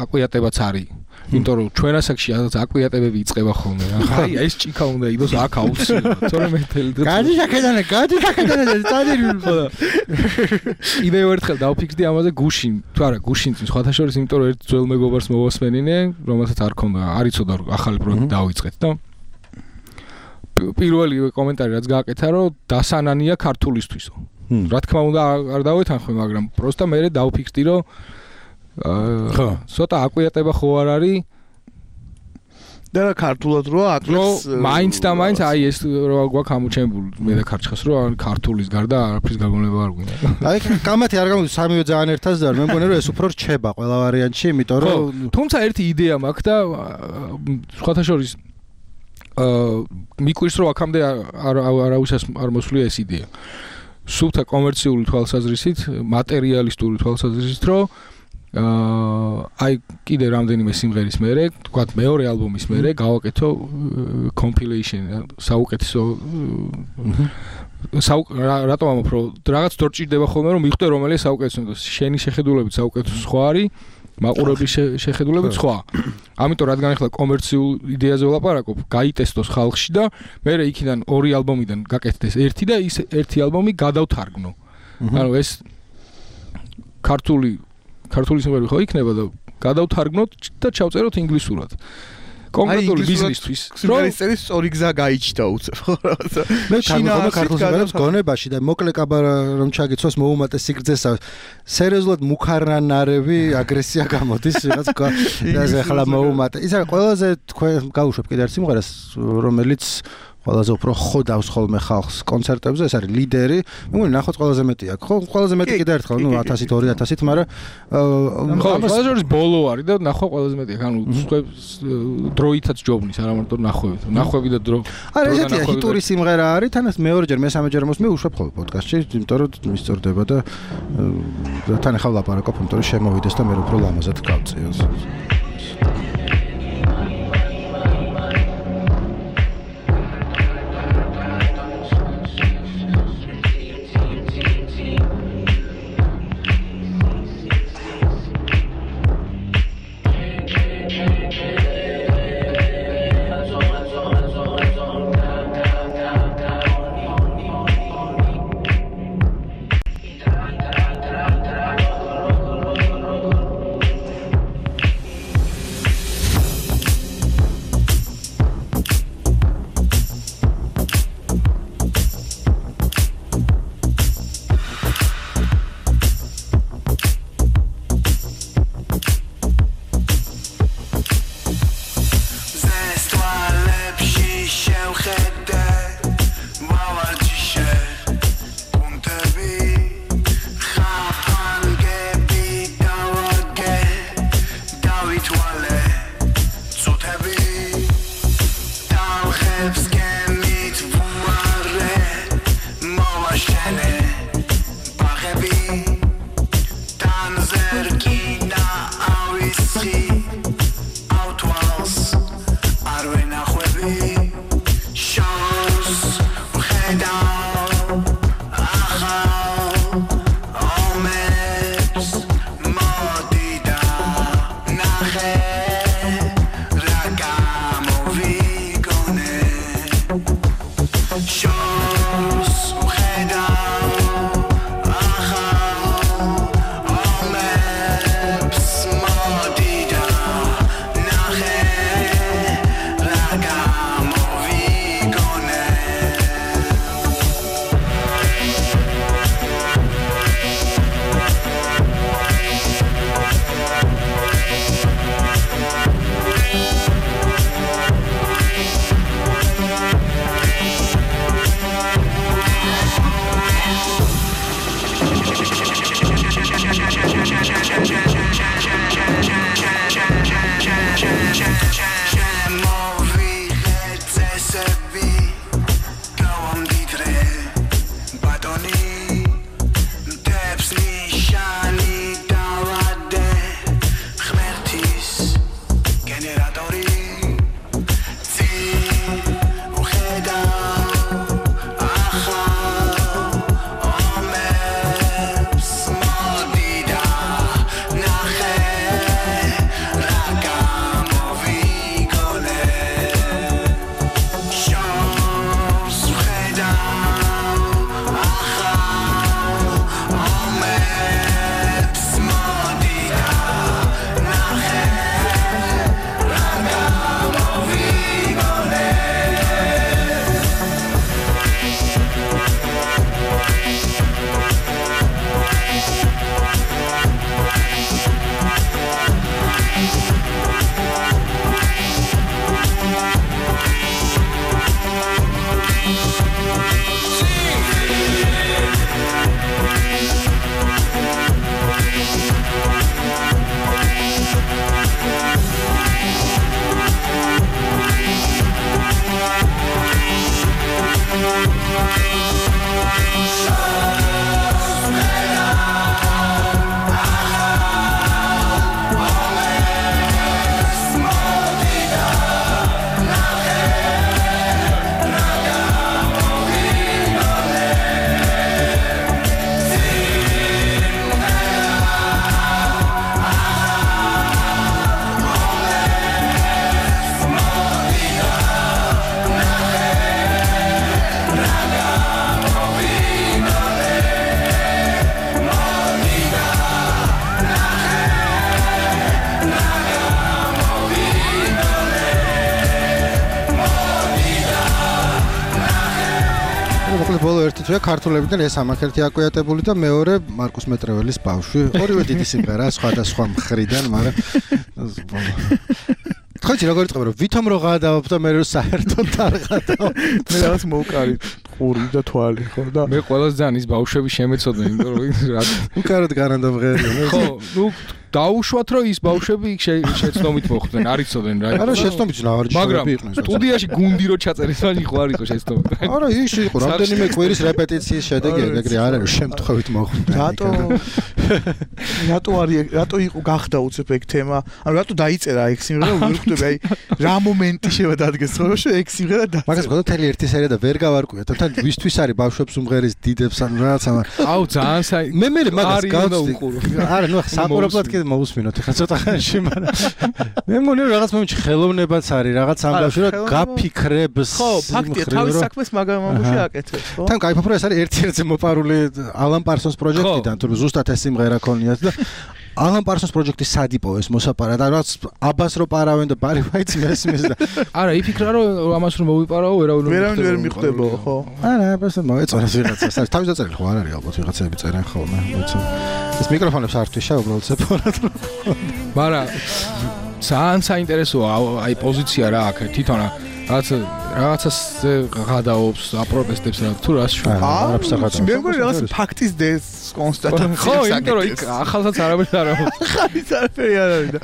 აკვიატებაც არის. იმიტომ რომ ჩვენ ასაკში აკვიატებები იწყება ხოლმე რა. აი ეს ჭიქა უნდა იყოს აქ აუცილებლად. თორემ მე თელი დღე გადი შაკედანე წადირი ხო და კიდევ ერთხელ დავფიქსდი ამაზე გუშინ. თუ არა გუშინ სხვათა შორის, იმიტომ რომ ერთ ძველ მეგობარს მოვასმენინე, რომელსაც არ ქონდა, არ იცოდა რომ ახალი პროექტი დავიწყეთ და პირველი კომენტარი რაც გააკეთა რომ დასანანია ქართულისთვისო. რა თქმა უნდა არ დავეთანხმე, მაგრამ პროსტა მე დავფიქსდი რომ ხო, ცოტა აკვიატება ხო არ არის და ქართულად რო აკეთებს მაინც და მაინც აი ეს რო გვაქვს ამოჩენებული მე და ქარჩხას რომ ქართულის გარდა არაფრის გაგონება არ გვინდა. აი კამათი არ გამოდის სამივე ძალიან ერთად და მე მგონი რომ ეს უფრო რჩება ყველა ვარიანტში, იმიტომ რომ თუმცა ერთი იდეა მაქვს და სხვათა შორის მიკვირს რომ აქამდე არავისას არ მოსვლია ეს იდეა. სულთა კომერციული თვალსაზრისით, მატერიალისტური თვალსაზრისით, რომ აი კიდე რამდენიმე სიმღერის მერე, თქვათ მეორე ალბომის მერე გავაკეთო compilation საუკეთესო რატომ ამბობ რომ რაღაც დრო ჭირდება ხოლმე რომ მიხვდე რომელია საუკეთესო, შენი შეხედულებით საუკეთესო სხვა არის, მაყურებლის შეხედულებით სხვა. ამიტომ რადგან ახლა კომერციულ იდეაზე ვლაპარაკობ, გაიტესტოს ხალხში და მერე იქიდან ორი ალბომიდან გაკეთდეს ერთი და ის ერთი ალბომი გადავთარგმნო. ანუ ეს ქართული სიმღერები ხო იქნება და გადავთარგმნოთ და ჩავწეროთ ინგლისურად. კონკრეტული ბიზნესთვის. სიმღერის წერის სწორი გზა გაიჩნდა უცებ ხო რაღაცა. მე თვითონ ქართულ სიმღერებს გონებაში და მოკლე კაბარა რომ ჩაგიცვას მოუმატე სიგრძესა. სერიოზულად მუქარნარევი აგრესია გამოდის რაღაც და ახლა მოუმატე. ის არის ყველაზე თქვენ გავუშვებ კიდე ერთ სიმღერას რომელიც ყველაზე უფრო ხოდავს ხოლმე ხალხს კონცერტებზე, ეს არის ლიდერი. მე მგონი ნახოთ ყველაზე მეტი აქვს. ხო, ყველაზე მეტი კიდე ერთხელ, ნუ 1000-ით 2000-ით, მაგრამ ხო, ყველაზე შორის ბოლო არის და ნახვა ყველაზე მეტი. ანუ დროითაც ჯობნის, არა მარტო ნახვევით. ნახვევი და დრო. არა, ესეთი ჰიტური სიმღერა არის, თანაც მეორეჯერ, მესამეჯერ მოსმე უშვებ ხოლმე პოდკასტში, იმიტომ რომ მისწორდება და თან ახლა ვლაპარაკობ, იმიტომ რომ შემოვიდეს და მე უფრო ლამაზად გავწიოს. ბოლო ერთი თვეა ქართულებიდან ეს ამაქერთი აკვიატებული და მეორე მარკუს მეტრეველის ბავშვი. ორივე დიდი სიმღერა სხვადასხვა მხრიდან, მაგრამ ხოჭი როგორ იწყება რომ ვითომ რო გადავობ და მე რო საერთოდ არ გადავ. მე რაღაც მოვკარით ყური და თვალი ხო და მე ყველას ძალიან ის ბავშვები შემეცოდნენ, იმიტომ რომ რა უკაროდ გარანდა მღერია. ხო, ნუ დაუშვათ რომ ის ბავშვები შეცდომით მოხვდნენ, არ იცოდნენ რა. არა, შეცდომით ნავარჯიშები იყვნენ. სტუდიაში გუნდი რო ჩაწერეს, მან იყო არ იყო შეცდომით. არა, ის იყო რამდენიმე კვირის რეპეტიციის შედეგია, ეგრე არ არის შემთხვევით მოხვდნენ. რატო იყო გახდა უცებ ეგ თემა? ანუ რატო დაიწერა ეგ სიმღერა, ვერ ხვდები, აი რა მომენტი შევადადგეს ხოლმე ეგ სიმღერა და მაგას გქონდა თელი ერთი სერია და ვერ გავარკვიოთ. თან ვისთვის არის ბავშვებს უმღერის დიდებს ან რაღაცა. აუ ძალიან მე მაგას გავწდი. არა, ნუ საყურებლად კიდე მოусმინოთ ხა ცოტა ხანში, მაგრამ მე მგონი რომ რაღაც მომენტში ხელოვნებაც არის, რაღაც ამ ბავშვი რა გაფიქრებს. ხო, ფაქტია, თავის საქმეს მაგამ ამბავში აკეთებს, ხო? თან кайფობ რომ ეს არის ერთ-ერთი მოპარული ალან პარსონს პროექტიდან, თუ ზუსტად ეს სიმღერა ქონიათ და ალან პარსონს პროექტის სადიპო ეს მოსაპარა და რაღაც აბას რო პარავენ და ბარი ვაიც მესმის და არა იფიქრა რომ ამას რომ მოვიპარაო ვერავინ ვერ მიხვდებო ხო არა აბას მოეწონეს ვიღაცას არის თავის დაწერილი ხო არ არის ალბათ ვიღაცები წერენ ხოლმე მოიცო ეს მიკროფონებს არ თვიშა უბრალოდ სეპარატ მაგრამ ძალიან საინტერესოა აი პოზიცია რა აქ თვითონ რაღაცას გადაობს აპროტესტებს რა თუ რას შევარ მე მგონი რაღაც ფაქტის დეს კონსტატაცია ხო იმიტომ რომ იქ ახალსაც არაფერი არ არის ახალიც არაფერი არ არის და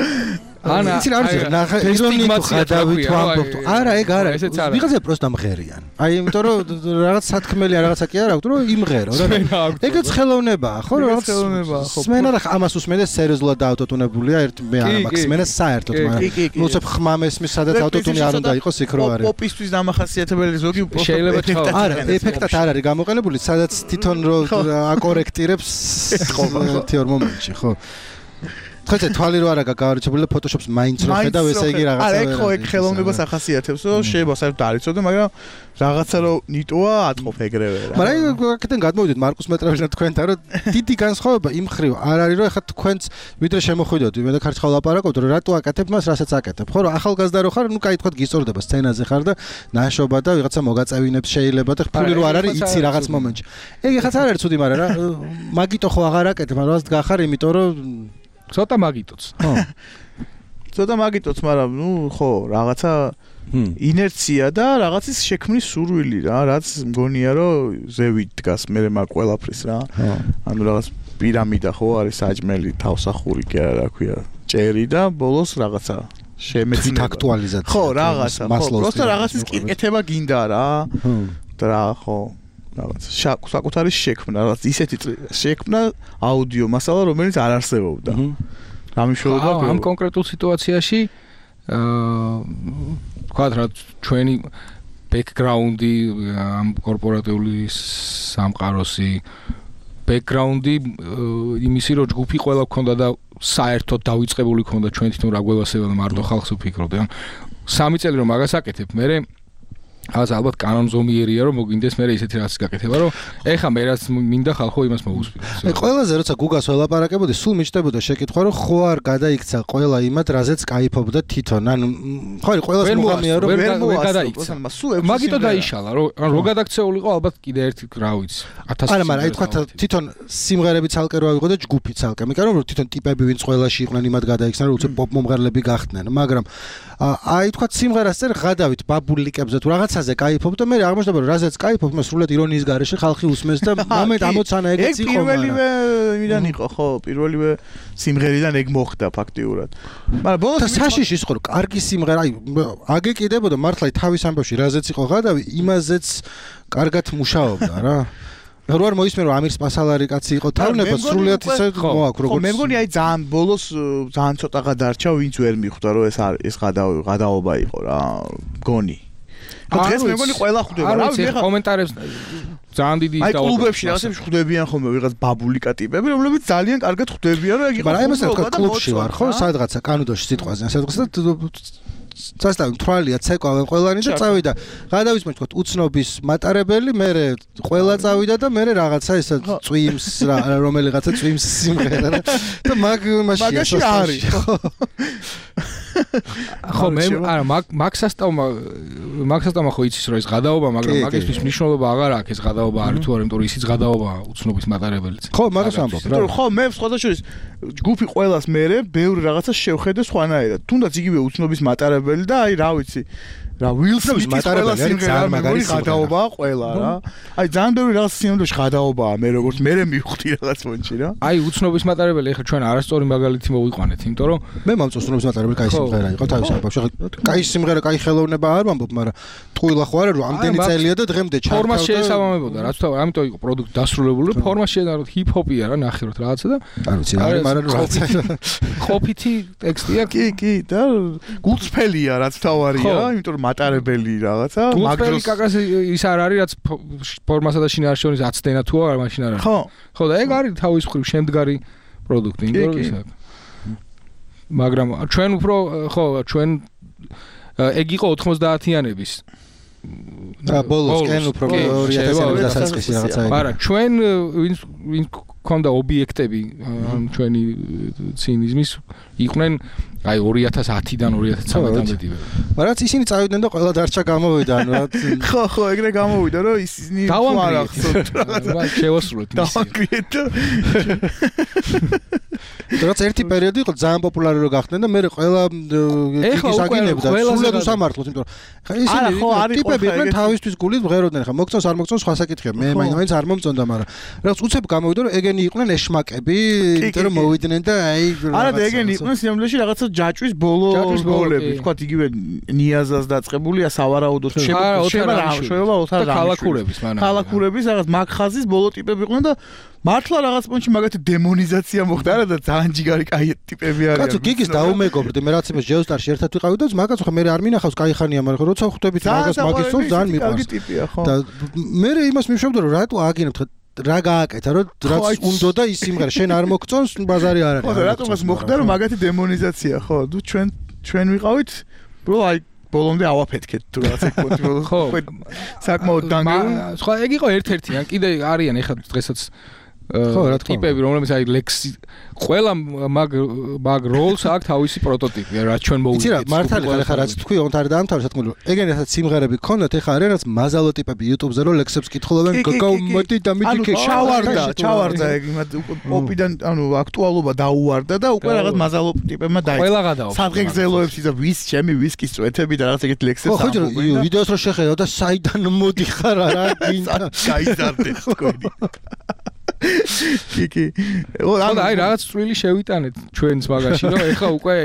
ანა იცი რა არის ნახე ირონი თუ ხადავით ვამბობთ არა ეგ არა ვიღაცა პროსტა მღერიან აი იმიტომ რომ რაღაც სათქმელი რაღაცა კი არ აქვს რომ იმღერო რა ეგეც ხელოვნებაა ხო რაღაც ხელოვნებაა ხო სმენა რა ამას უსმენდეს სერიოზულად აუტოტუნებულია ერთ მე არა მაქვს სმენა საერთოდ მაგრამ ნუ ცებ ხმამესმის სადაც აუტოტუნი არ უნდა იყოს იქ რო არის პოპისთვის დამახასიათებელი ზოგი შეიძლება არა ეფექტად არ არის გამოყენებული სადაც თვითონ რო აკორექტირებს ერთი ორ მომენტში ხო ხოჭე თვალი რო არა გავარჩებული და ფოტოშოპს მაინც რო ხედავ ესე იგი რაღაცა არა ეგ ხო ეგ ხელოვნებას ახასიათებს რომ შეიძლება საერთოდ არ იცოდე მაგრამ რაღაცა რო ნიტოა ატყობ ეგრევე რა მაგრამ აქედან გადმოვიდეთ მარკუს მეტრეველთან თქვენთან რომ დიდი განსხვავება იმ ხრივ არ არის რომ ეხლა თქვენც ვიდრე შემოხვიდოთ მე და ქარცხალ ლაპარაკობთ რომ რატო აკეთებ მას რასაც აკეთებ ხო რომ ახალგაზრდა რო ხარ ნუ კაი თქვა გიწორდება სცენაზე ხარ და ნაშობა და ვიღაცა მოგაწევინებს შეიძლება და ფული რო არ არის იცი რაღაც მომენტში ეგ ეხაც არ არის ცუდი მაგრამ რა მაგიტო ხო აღარ აკეთებ მაგრამ რაღაც გახარ იმიტომ რომ ცოტა მაგიტოც. ხო. ცოტა მაგიტოც, მაგრამ ნუ ხო, რაღაცა ინერცია და რაღაცის შექმნის სურვილი რა, რაც მგონია რომ ზევით დგას მე მაგ ყველაფრის რა. ანუ რაღაც პირამიდა ხო არის საჭმელი, თავსახური კი არა, რა ქვია, ჭერი და ბოლოს რაღაცა შემეცნება. აქტუალიზაცია. ხო, რაღაცა, ხო, просто რაღაცის კეთება გინდა რა. და რა ხო რაღაც საკუთარი შექმნა, რაღაც ისეთი შექმნა აუდიო მასალა, რომელიც არ არსებობდა. გამიშველება ამ კონკრეტულ სიტუაციაში თქვა რა ჩვენი ბექგრაუნდი ამ კორპორატიული სამყაროსი ბექგრაუნდი იმისი რომ ჯგუფი ყველა გქონდა და საერთოდ დავიწყებული გქონდა ჩვენ თვითონ რა გველასება და მარტო ხალხს ვფიქრობდი. ან 3 წელი რომ მაგას აკეთებ, მე რაღაც ალბათ კანონზომიერია რომ მოგინდეს მე ისეთი რაღაც გაკეთება რომ ეხა მე რაც მინდა ხალხო იმას მოგუსმინოს. ყველაზე როცა გუგას ველაპარაკებოდი სულ მიჩნდებოდა შეკითხვა რომ ხო არ გადაიქცა ყველა იმად რაზეც კაიფობდა თვითონ. ანუ ხო არის ყველას მოგამია რომ ვერ გადაიქცა. მაგიტო დაიშალა რომ რო გადაქცეულიყო ალბათ კიდე ერთი რა ვიცი 1000. არა მაგრამ აი თქვა თვითონ სიმღერები ცალკე რო ავიღო და ჯგუფი ცალკე. მე კარო რომ თვითონ ტიპები ვინც ყველაში იყვნენ იმად გადაიქცნენ რომ უცებ პოპ მომღერლები გახდნენ. მაგრამ აი თქვა სიმღერას წერ გადავით ბაბულიკებზე თუ რაღაცაზე кайფობ და მე აღმოჩნდება რომ რაზეც кайფობ მე სრულად ირონიის გარეშე ხალხი უსმენს და მომენტ ამოცანა ეგეც იყო. პირველივე იმიდან იყო ხო პირველივე სიმღერიდან ეგ მოხდა ფაქტიურად. მაგრამ ბოლოს საშიში ის ხო რომ კარგი სიმღერა აი აგეკიდებოდა მართლა თავის ამბავში რაზეც იყო გადავი იმაზეც კარგად მუშაობდა რა. რო არ მოისმენ რომ ამირ სპასალარი კაცი იყო თავნება სრულად ისე მოაქვს როგორც მე მგონი აი ძალიან ბოლოს ძალიან ცოტა გადარჩა ვინც ვერ მიხვდა რომ ეს გადაობა იყო რა გონი დღეს მე მგონი ყველა ხვდება რა ვიცი კომენტარებს ძალიან დიდი აი კლუბებში რაღაცებს ხვდებიან ხოლმე ვიღაც ბაბულიკა ტიპები რომლებიც ძალიან კარგად ხვდებიან რომ ეგ იყო მაგრამ აი მასე კლუბში ვარ ხო სადღაცა კანუდოში სიტყვაზე სადღაცა წასტავი თვალია ცეკვავენ ყველანი და წავიდა გადავისმენ თქო უცნობის მატარებელი მე ყველა წავიდა და მე რაღაცა ესა წვიმს რომელიღაცა წვიმს სიმღერა და მაგაში არის ხო მე არა მაქსასტავმა ხო იცის რომ ეს გადაობა მაგრამ მაგისთვის მნიშვნელობა აღარ აქვს ეს გადაობა არის თუ არა იმიტომ რომ ისიც გადაობაა უცნობის მატარებელიც ხო მაგას ამბობ რა ხო მე სხვადასხვა ჯგუფი ყველას მერე ბევრი რაღაცა შევხედე სხვანაირად თუნდაც იგივე უცნობის მატარებელი და აი რა ვიცი რა ვილსმის მატარებელი ძალიან მაგარი გადაობაა ყველა რა აი ძალიან ბევრი რაღაც სიმღერაში გადაობაა მე როგორც მე მივხვდი რაღაც მომენტში რა აი უცნობის მატარებელი ეხლა ჩვენ არასწორი მაგალითი მოვიყვანეთ იმიტომ რომ მე მომწონს მატარებელი კაი სიმღერა იყო თავის ამბავში კაი სიმღერა კაი ხელოვნება არ ვამბობ მაგრამ ტყუილა ხო არა რომ ამდენი წელია და დღემდე ჩართავდა ფორმა შეესაბამებოდა რაც თავი ამიტომ იყო პროდუქტი დასრულებული ფორმა შეედაროთ ჰიპ-ჰოპია რა ნახე რომ რაღაცა და არ ვიცი მაგრამ რაღაცა ყოფითი ტექსტია კი და გულწრფელია რაც თავარია იმიტომ რომ მატარებელი რაღაცა მაგდროს კაკას ის არ არის რაც ფორმასა და შინაარსში შორის აცდენა თუ არა მაშინ არ არის ხო და ეგ არის თავის მხრივ შემდგარი პროდუქტი იმიტომ რომ ისა მაგრამ ჩვენ უფრო ხო ჩვენ ეგ იყო 90-იანების ბოლოს კენ უფრო 2000-იანი დასაწყისი რაღაცა ეგ არა ჩვენ ვინ ქონდა ობიექტები ჩვენი ცინიზმის იყვნენ აი 2010-დან 2013-მდე. მაგრამ ისინი წავიდნენ და ყველა დარჩა გამოვიდა ანუ რა ხო ეგრე გამოვიდა რომ ისინი არ ახსოვთ რა შევასრულეთ დავაკრიეთ რაც ერთი პერიოდი იყო ძალიან პოპულარი რო გახდნენ და მე ყველა ის აგინებდა სულად უსამართლოდ იმიტომ რომ ისინი ტიპები იყვნენ თავისთვის გულით მღეროდნენ ხა მოგწონს არ მოგწონს სხვა საკითხია მე მაინც არ მომწონდა მაგრამ რაც უცებ გამოვიდა რომ ეგენი იყვნენ ეშმაკები იმიტომ რომ მოვიდნენ და აი არა და ეგენი იყვნენ სიამბლეში რაღაცა ჯაჭვის ბოლოები თქვა იგივე ნიაზას დაწყებულია სავარაუდოდ შეება ოთარ ქალაქურების რაღაც მაგხაზის ბოლო ტიპები იყვნენ და მართლა რაღაც პონჩი მაგათი დემონიზაცია მოხდა არა და ძალიან ჯიგარი კაი ტიპები არიან. კაცო გიგის დაუმეგობრდი მე რაც იმას ჯეოსტარში ერთად ვიყავი და მაგაც ხო მე არ მინახავს კაი ხანია მაგრამ როცა ხვდებით მაგას მაგის სულ ძალიან მიყვარს. და მე იმას მივშევდა რომ რატო აგინებთ რა გააკეთა რომ რაც უნდა და ის სიმღერა შენ არ მოგწონს ბაზარი არ არის. ხო და რატომაც მოხდა რომ მაგათი დემონიზაცია ხო თუ ჩვენ ვიყავით ბრო აი ბოლომდე ავაფეთქეთ თუ რაღაცა ხო საკმაოდ დანგრეულ სხვა ეგ იყო ერთ-ერთი ან კიდე არიან ეხლა დღესაც ხო რა თქმა უნდა ტიპები რომლებიც აი ლექსი ყველა მაგ როლს აქვს თავისი პროტოტიპი რა ჩვენ მოვიდეთ იცი რა მართალია ეხლა რაც თქვი ოღონდ არ დაამთავრე სათქმელი ეგენი რასაც სიმღერები ქონდათ ეხლა არის რაც მაზალო ტიპები YouTube-ზე რო ლექსებს კითხულობენ გოგო მოდი და მიდიქე ჩავარდა ეგ იმად პოპიდან ანუ აქტუალობა დაუვარდა და უკვე რაღაც მაზალო ტიპებმა დაიწყო ყველა გადავა სადღეგრძელოებს ისა ვის ჩემი ვისკის წვეთები და რაღაც ეგეთ ლექსებს ამბობენ ხო ვიდეოს რო შეხედავ და საიდან მოდიხარ რა გინდა გაიზარდეთ თქვენი კი და აი რაღაც წვლილი შევიტანეთ ჩვენს მაგაში რომ ეხა უკვე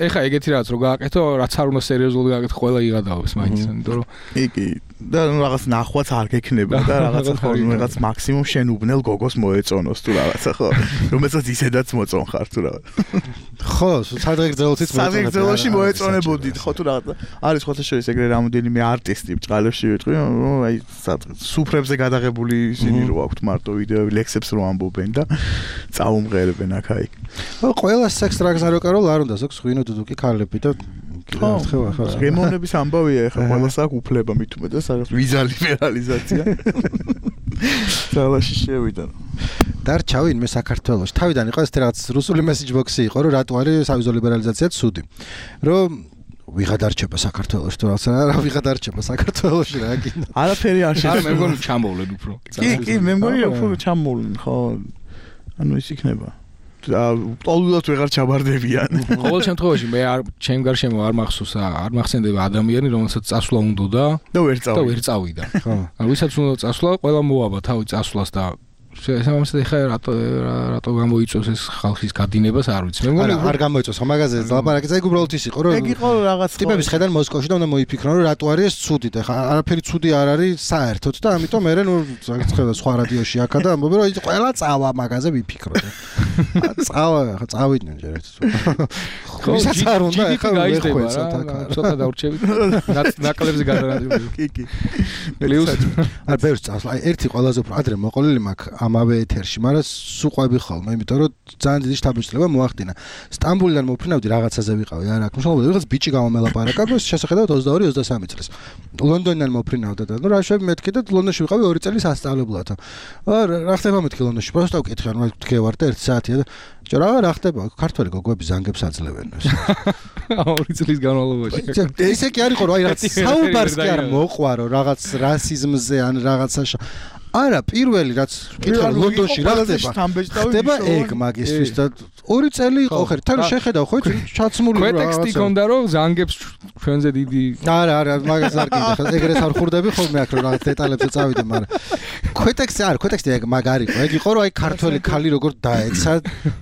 ეხა ეგეთი რაღაც რო გააკეთო რაც არ უნდა სერიოზულად გააკეთო ყველა იღადაობს მაინც იმიტომ რომ კი და რაღაც ნახვაც არ გექნება და რაღაცა ხო რაღაც მაქსიმუმ შენ უბნელ გოგოს მოეწონოს თუ რაღაცა ხო რომელსაც ისედაც მოწონხარ თუ რაღაც ხო სადღეგრძელოში მოეწონებოდით ხო თუ რაღაცა არის ხოთა შორის ეგრე რამოდენიმე არტისტი ბჭყალებში ვიტყვი აი სუფრებზე გადაღებული ისინი რო აქვთ მარტო ვიდეოები ლექსებს რო ამბობენ და წაუმღერებენ აქ-აქ ყველა სექს დრაგს არ ოკარო არ უნდა ზოგს ღვინო დუდუკი ქალები და კიდევ ერთხელ ახლა. გემოვნების ამბავია ეხლა ყველას აქვს უფლება მით უმეტეს რაღაც ვიზა ლიბერალიზაცია. ძალაში შევიდა. დარჩა ვინმე საქართველოში. თავიდან იყო ეს რაღაც რუსული მესეჯ ბოქსი იყო, რომ რატო არის სავიზო ლიბერალიზაცია ცუდი. რომ ვიღა დარჩება საქართველოში თუ რაღაცა რა ვიღა დარჩება საქართველოში რა გინდა. არაფერი არ შეიძლება. მე მგონი ჩამოვლენ უფრო. კი, მე მგონი უფრო ჩამოვლენ, ხო. ანუ ის იქნება. ტოლულად ვეღარ ჩაბარდებიან. ყოველ შემთხვევაში მე არ ჩემ გარშემო არ მახსოვს, არ მახსენდება ადამიანი, რომელსაც წასვლა უნდა და ვერ წავიდა. ხო. ანუ ვისაც უნდა წასვლა, ყველა მოაბა თავი წასვლას და შესაბამისად ეხა რატო გამოიწვევს ეს ხალხის გადინებას არ ვიცი. მე მგონი არ გამოიწვევს, ხო მაგაზე ლაპარაკი ეგ უბრალოდ ის იყო, რომ ეგ იყო რაღაც ტიპების ხედან მოსკოვში და უნდა მოიფიქრონ, რომ რატო არის ეს ცუდი და ხა არაფერი ცუდი არ არის საერთოდ და ამიტომ მე ნუ ხედავ სხვა რადიოში აქა და ამბობენ, რომ ყველა წავა მაგაზე ვიფიქროთ. წავა, წავიდნენ ჯერ ერთ. ვისაც არ უნდა ეხა ვერხვეცოთ აქ. ცოტა დავრჩებით. ნაკლებზე გადარადგები. კი. პლუს არ ბევრს წასვლა. აი ერთი ყველაზე უფრო ადრე მოყოლილი მაქვს ამავე ეთერში, მაგრამ სუყვები ხოლმე, იმიტომ რომ ძალიან დიდი შთაბეჭდილება მოახდინა. სტამბოლიდან მოფრინავდი რაღაცაზე ვიყავი, არა, აქ მშობლები რაღაც ბიჭი გამომელაპარაკა, რომ შესაძლოა 22-23 წლის. ლონდონიდან მოფრინავდა და ნუ რა შევი მეთქი და ლონდონში ვიყავი 2 წელი სასწავლებლად. რა ხდება მეთქი ლონდონში? პროსტა ვკითხე, ანუ თქვი ვარ და 1 საათია და რა ხდება? ქართველი გოგოები ზანგებს აძლევენ. 2 წლის განმავლობაში. ესე კი არ იყო, რომ აი რაღაც საუბარს კი არ მოყვარო, რაღაც რასიზმზე ან რაღაცაში. არა, პირველი რაც კითხავ ლონდონში რა ხდება ეგ მაგისტრის და 2 წელი იყო ხერ თან შეხედავ ხო ჩაცმული რა ტექსტი ქონდა რომ ზანგებს ჩვენზე დიდი არა მაგას არ გინდა ეგრეს არ ხურდები ხოლმე აქ რომ რაღაც დეტალებზე წავიდე მაგრამ ქვეტექსტი ეგ მაგ არ იყო ეგ იყო რომ აი ქართველი ხალი როგორ დაეცა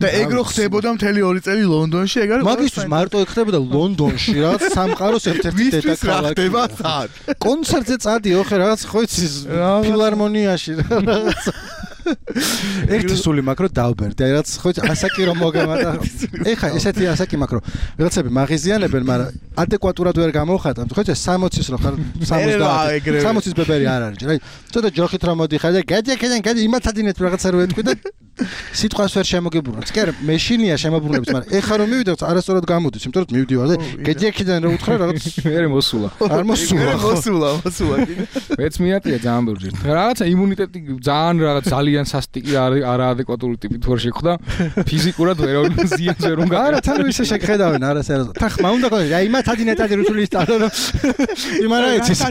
და ეგ რო ხდებოდა მთელი 2 წელი ლონდონში ეგ არის მაგისტრის მარტო ეგ ხდებოდა ლონდონში რაღაც სამყაროს ერთ-ერთი დედაქალაქი ხდება სად კონცერტზე წადიო ხე რაღაც ხო იცი ფილარმონია ერთი სული მაკრო დავბერდი აი რაც ხო ასაკი რომ მოგემატა ეხა ესეთი ასაკი მაკრო ვიღაცები მაღიზიანებენ მაგრამ ადეკვატურად ვერ გამოხატავთ ხო 60-ის რო ხარ 60-ის ბებერი არ არის აი ცოტა ჯოხით რომ მოდიხარ და გადი იმათადინეთ რაღაცა რო ეთქვი და სიტყვას ვერ შემოგიბრუნებს კი არა მეშინია შემოbrunებს მაგრამ ეხა რომ მივიდეთ არასწორად გამოდის იმიტომ რომ მივდივარ და გეჯექიდან რო უთხრა რაღაც მე მოსულა არ მოსულა მეც მიატია ძალიან ბევრი რაღაცა იმუნიტეტი ძალიან რაღაც ძალიან სასტიკი არაადეკვატური ტიპით ვერ შეხვდა ფიზიკურად ვერ ზიანს ვერ უნდა არა თან ისე შეგხედავენ არასეროზ თან ხმა უნდა ყო აი იმათადინეტადი რუსულის ტალო იმარა იცის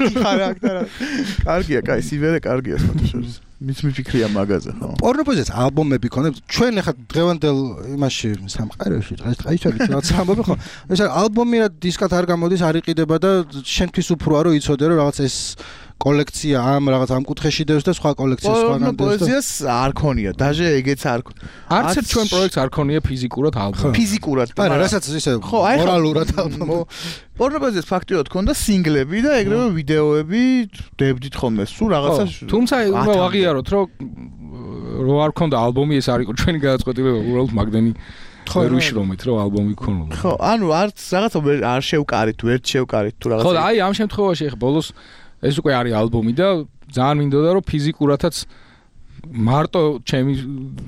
კარგია კაი სივერე კარგია სპორტშორის მის მიფიქრია მაგაზე ხო პორნოპოზეც ალბომები ქონებთ ჩვენ ახლა დღევანდელ იმაში სამყაროში დღეს რაღაც ამბობ ხო ეს ალბომი რა დისკად არ გამოდის არ იყიდება და შენთვის უფროა რომ იცოდე რომ რაღაც ეს კოლექცია ამ რაღაც ამ კუთხეში დევს და სხვა კოლექცია სხვაგან დევს და პოეზიას არ ქონია დაჟე ეგეც არ არც ერთ ჩვენ პროექტს არ ქონია ფიზიკურად ალბომი ფიზიკურად არა რასაც ისე მორალურად ალბომი პორნოპოზიას ფაქტიურად ქონდა სინგლები და ეგრევე ვიდეოები დებდით ხოლმე სულ რაღაცა თუმცა უნდა ვაღიაროთ რომ რო არ ქონდა ალბომი ეს არ იყო ჩვენი გადაწყვეტილება უბრალოდ მაგდენი ვერ ვიშრომეთ რომ ალბომი გქონოდა ხო ანუ არც რაღაცა არ შევკარით ვერ შევკარით თუ რაღაცა ხო და აი ამ შემთხვევაში ახლა ბოლოს ეს უკვე არის ალბომი და ძალიან მინდოდა რომ ფიზიკურადაც მარტო ჩემი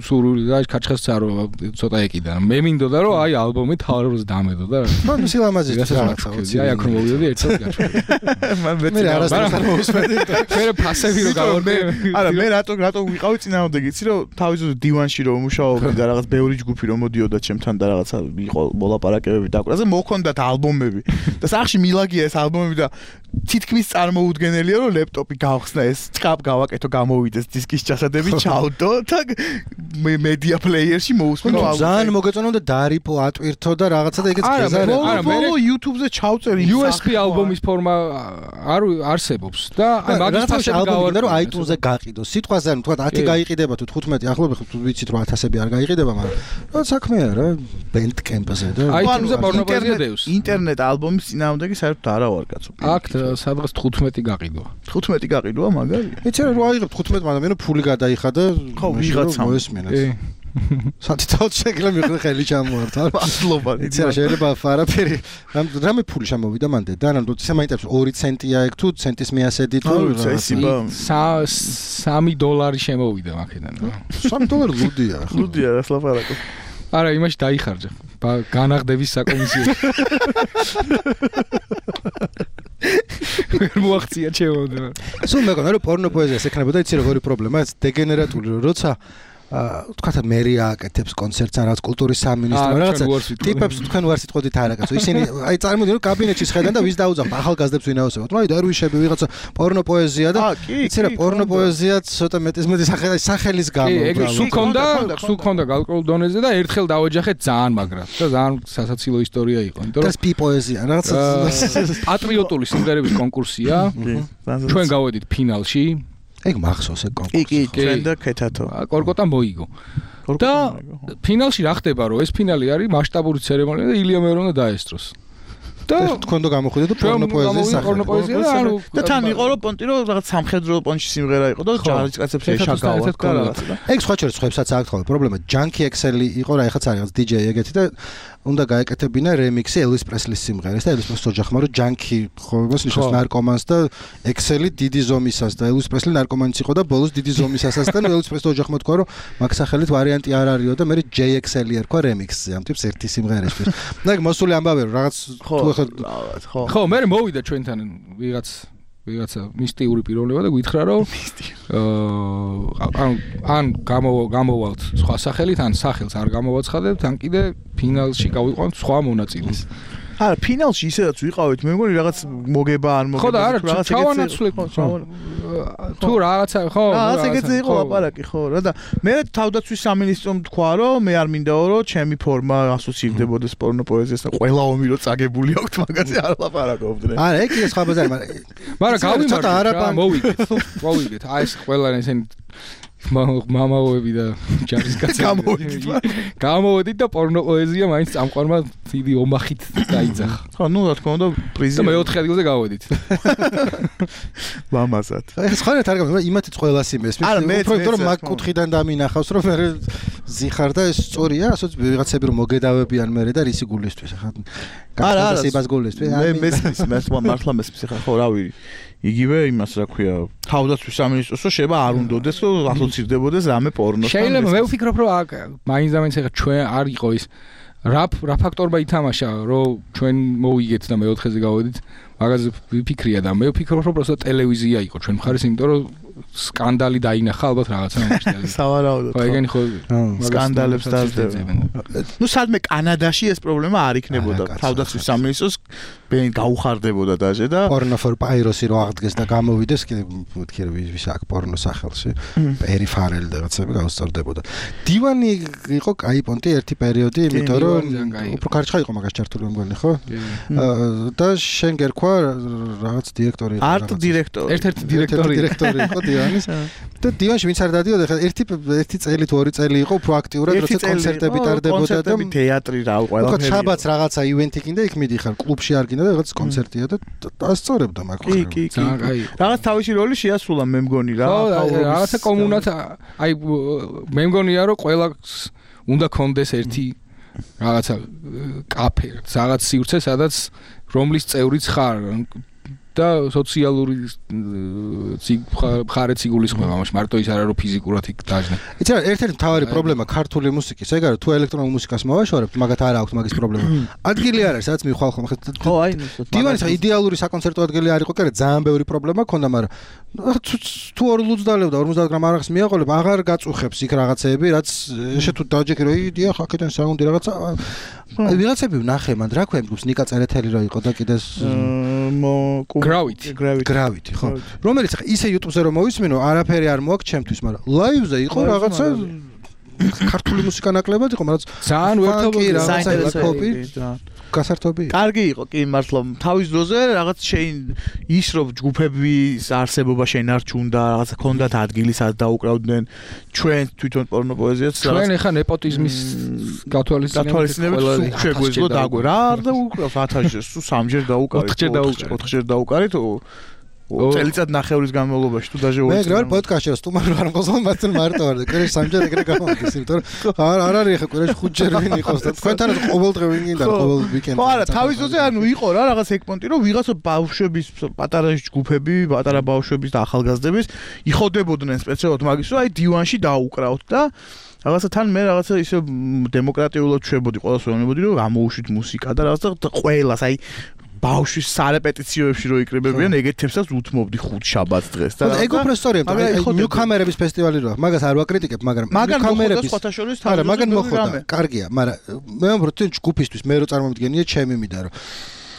სურვილი და კაჩხეს წარო ცოტა ეკიდა მე მინდოდა რომ აი ალბომი თავრობაზე დამედო და მან სილამაზის რაღაცა აი აქ რომ მოვიდოდი ერთად გაჩვენე მე არასდროს არ მოვუსმენდი მე ფასები რო გავორდე არა მე რატო ვიყავი წინააღმდეგ იცი რომ თავისუფლად დივანში რომ მუშაობდი და რაღაც ბევრი ჯგუფი რომ მოდიოდა ჩემთან და რაღაცა იყო მოლაპარაკებები და აკვრაზე მოხონდათ ალბომები და სახში მილაგია ეს ალბომები და თითქმის წარმოუდგენელია რომ ლეპტოპი გავხსნა ეს ჭკაპ გავაკეთო გამოვიდეს დისკის ჩასადები ჩავდო და მედია პლეიერში მოусმინო ალბომი ძალიან მოგეწონა და დარიპო ატვირთო და რაღაცა და ეგეც გეზარე არა მე YouTube-ზე ჩავწერი USB ალბომის ფორმა არ არსებობს და აი მაგის ფასები გავარდა რომ iTunes-ზე გაყიდო სიტყვაზე ანუ თქვა 10 გაიყიდება თუ 15 ახლობე თუ ვიცით რომ 1000-ები არ გაიყიდება მაგრამ რა საქმეა რა Bandcamp-ზე და iTunes-ზე პორნოგრაფია დევს ინტერნეტ ალბომის წინააღმდეგი საერთოდ არა ვარ კაცო აქ სადღაც 15 გაყიდვა 15 გაყიდვა მაგარია იცი რა აიღებ 15 მაგრამ ფული გადაიხადა ხო ვიღაცამ მოესმინეს სათითაოდ შეგლა მიხდე ხელი ჩამოართა მადლობა იცი რა შეიძლება არაფერი რამე ფული შემოვიდა მანდე და ანუ ისე მაინტერესებს 2 ცენტია ეგ თუ ცენტის მიასედი თუ $3 შემოვიდა მაქედან $3 ლუდია ლუდია რა სლაპარაკო არა იმაში დაიხარჯა განაღდების საკომისიო. ვერ მოახცია ჩემო. სულ მეგონა რომ პორნო პოეზიას ეკნებოდა იცი როგორი პრობლემაა, დეგენერატული როცა თქვათ მერი ააკეთებს კონცერტს ან რაღაც კულტურის სამინისტრო რაღაცა ტიპებს თქვენ ვარ სიტყვით არ აკეთო ისინი აი წარმოვიდგინე რომ კაბინეტში შედან და ვის დაუძახთ ახალგაზრდებს ვინაოსებოთ აი დარვიშები ვიღაცა პორნო პოეზია და იცი რა პორნო პოეზია ცოტა მეტი სახელის გამო ეგ სულ ქონდა გალკრულ დონეზე და ერთხელ დავეჯახეთ ძალიან მაგრად და ძალიან სასაცილო ისტორია იყო იმიტომ რომ სპი პოეზია რაღაცა პატრიოტული სიმღერების კონკურსია ჩვენ გავედით ფინალში ეგ მახსოვს ეგ კონკურსი. კი, ჩვენ და ქეთათო. კორკოტა მოიგო. და ფინალში რა ხდება რომ ეს ფინალი არის მასშტაბური ცერემონია და ილია მერო უნდა დაესწროს. და თქვენ და გამოხვიდეთ და პორნო პოეზიის სახელი. და თან იყო რომ პონტი რომ რაღაც სამხედრო პონჩი სიმღერა იყო და ჯარისკაცებს ეშაგავა და ეგ სხვა შორის ხვებსაც აქვს ხოლმე პრობლემა ჯანკი ექსელი იყო რა ეხაც არის DJ ეგეთი და უნდა გაეკეთებინა რემიქსი ელვის პრესლის სიმღერის და ელვის პრესლის ოჯახმა რომ ჯანკი ხო იმას ნიშნავს ნარკომანს და ექსელი დიდი ზომისას და ელვის პრესლი ნარკომანიც იყო და ბოლოს დიდი ზომისასაც და ელვის პრესლის ოჯახმა თქვა რომ მაგ სახელით ვარიანტი არ არისო და მე JXL ერქვა რემიქსზე ამ ტიპს ერთი სიმღერისთვის და ეგ მოსული ამბავე რომ რაღაც ხო მე მოვიდა ჩვენთან ვიღაცა მისტიური პიროვნება და გითხრა რომ ან გამოვალთ სხვა სახელით ან სახელს არ გამოვაცხადებთ ან კიდე ფინალში გავიყვანთ სხვა მონაწილეს არა ფინალში ისედაც ვიყავით მე მგონი რაღაც მოგება არ მოგება ხო და არა ჩავანაცვლე თუ რაღაცა ხო რაღაც ეგეთი იყო ლაპარაკი ხო რა და მე თავდაცვის სამინისტრომ თქვა რომ მე არ მინდაო რომ ჩემი ფორმა ასოცირდებოდეს პორნო პოეზიასთან ყველა ომი რო წაგებული აქვს მაგაზე არ ლაპარაკობდნენ არა ეგ ის სხვა ბაზარი მაგრამ გავიმართ მოვიგეთ აი ეს ყველა ესენი მამაოები და ჯარისკაცები გამოვედით და პორნო პოეზია მაინც წამყვანმა დიდი ომახით დაიძახა. ხო, ნუ რა თქმა უნდა პრიზი. და მე-4 ადგილზე გავედით. ლამაზად. ეს ხარ არ გამიგე, იმათიც ყველას იმესმის. უფრო რომ მაგ კუთხიდან დამინახავს, რომ მე ზიხარ და ეს სწორია, ასოც ვიღაცები რომ მოგედავებიან მე და რისი გულისთვის ხა. არა, სიბას გულისთვის. მე მესმის, მართლა მესმის ხა ხო, რავი. იგივე იმას რა ქვია თავდაცვის სამინისტროსო შეიძლება არ უნდოდეს რომ ასოცირდებოდეს რამე პორნოსთან შეიძლება მე ვფიქრობ რომ მაინც და მაინც ხა ჩვენ არ იყო ის რა ფაქტორმა ითამაშა რომ ჩვენ მოვიგეთ და მე-4-ზე გავედით მაგაზე ვიფიქრია და მე ვფიქრობ რომ პროსტა ტელევიზია იყო ჩვენ მხარეს იმიტომ რომ სკანდალი დაინახა ალბათ რაღაცა მომჭდელი. სავარაუდოდ. ხო ეგენი ხო სკანდალებს დაძებენ. ნუ სადმე კანადაში ეს პრობლემა არ იქნებოდა. თავდაცვის სამინისტროს ბენ გაუხარდებოდა დაჟე და პორნო ფორ პაიროსი რო აღდგეს და გამოვიდეს კიდე მეთქი რომ ვის აქ პორნო სახელში პერიფარელი და რაღაცები გაუსწორდებოდა. დივანი იყო კაი პონტი ერთი პერიოდი, იმიტომ რომ უფრო კარჩხა იყო მაგას ჩართული მგონი ხო? და შენ გერქვა რაღაც დირექტორი იყო. არტ დირექტორი. ერთ-ერთი დირექტორი იყო დივანის და დივანში ვინც არ დადიოდა ხა ერთი წელი თუ ორი წელი იყო უფრო აქტიურად როცა კონცერტები ტარდებოდა და თეატრი რა ყველაფერი. ხო შაბათს რაღაცა ივენთი კიდე იქ მიდიხარ კლუბში არ კიდე რაღაც კონცერტია და ასწორებდა მაგ ხო. კი. რაღაც თავისი როლი შეასრულა მე მგონი რა. ხო რაღაცა კომუნად აი მე მგონია რომ ყველას უნდა კონდეს ერთი რაღაცა კაფე რაღაც სივრცე სადაც რომლის წევრიც ხარ და სოციალური მხარეც იგულისხმება ამაში მარტო ის არა რომ ფიზიკურად იქ დაждნა. იცი რა ერთ-ერთი მთავარი პრობლემა ქართული მუსიკის ეგ არის თუ ელექტრონულ მუსიკას მოვაშორებთ მაგათ არ აქვს მაგის პრობლემა. ადგილი არ არის სადაც მიხვალ ხომ ხო აი დივანის იდეალური საკონცერტო ადგილი არ იყო კერე ძალიან ბევრი პრობლემა ქონდა მაგრამ თუ 2 ლუდს დალევდა 50 გრამ არახს მიაყოლებ აღარ გაწუხებს იქ რაღაცეები რაც ესე თუ დაჯექი რომ იდია ხაკიდან საუნდი რაღაცა ვიღაცები ვნახე მან რა ქვია გუს ნიკა წერეთელი რა იყო და კიდეს გრავიტი ხო რომელიც ხა ისე YouTube-ზე რომ მოვისმინო არაფერი არ მოაქვს ჩემთვის მაგრამ ლაივზე იყო რაღაცა ქართული მუსიკა ნაკლებად იყო მაგრამ ძალიან ვერთობი რაღაცა კოპი გასართობი კარგი იყო კი მართლა თავის დროზე რაღაც შეინ ის რომ ჯგუფების არსებობა შენ არ ჩუნდა რაღაცა ქონდათ ადგილი სადაც დაუკრავდნენ ჩვენ თვითონ პორნო პოეზიაც ჩვენ ეხა ნეპოტიზმის გათვალისწინებით შეგვეძლო დაგვე რა არ დაუკრავს 1000-ჯერ სულ 3-ჯერ დაუკარით 4-ჯერ დაუკარით წელიწად ნახევრის განმავლობაში თუ დაჟე მე გრალ პოდკასტში სტუმარი ვარ მყოლ მართლა მარტო ვარ და კერეში 3-ჯერ ეგრე გამოვიდეს იმიტომ რომ არ არის ხა კერეში 5-ჯერ ვინ იყოს და თქვენთან ყოველდღე ვინ გინდა ყოველ ვიკენდში ხო არა თავის დროზე ანუ იყო რა რაღაც ეგ პონტი რომ ვიღაცა ბავშვების პატარა ჯგუფები პატარა ბავშვების და ახალგაზრდების იხოდებოდნენ სპეციალურად მაგის რომ აი დივანში დაუკრავთ და რაღაცა თან მე რაღაცა ისე დემოკრატიულად ჩვებოდი ყველას ვეუბნებოდი რომ გამოუშვით მუსიკა და რაღაცა ყველას აი ბავშვის სარეპეტიციოებში რო იკრიბებიან ეგეთებსაც უთმობდი 5 შაბათს დღეს და ეგ უფრო სწორია ნიუკამერების ფესტივალი როა მაგას არ ვაკრიტიკებ მაგრამ ნიუკამერების სხვათაშორის არა მაგან მოხდა კარგია მაგრამ მე ვფიქრობ ჯგუფისთვის მე რო წარმომდგენია ჩემი მიდა რომ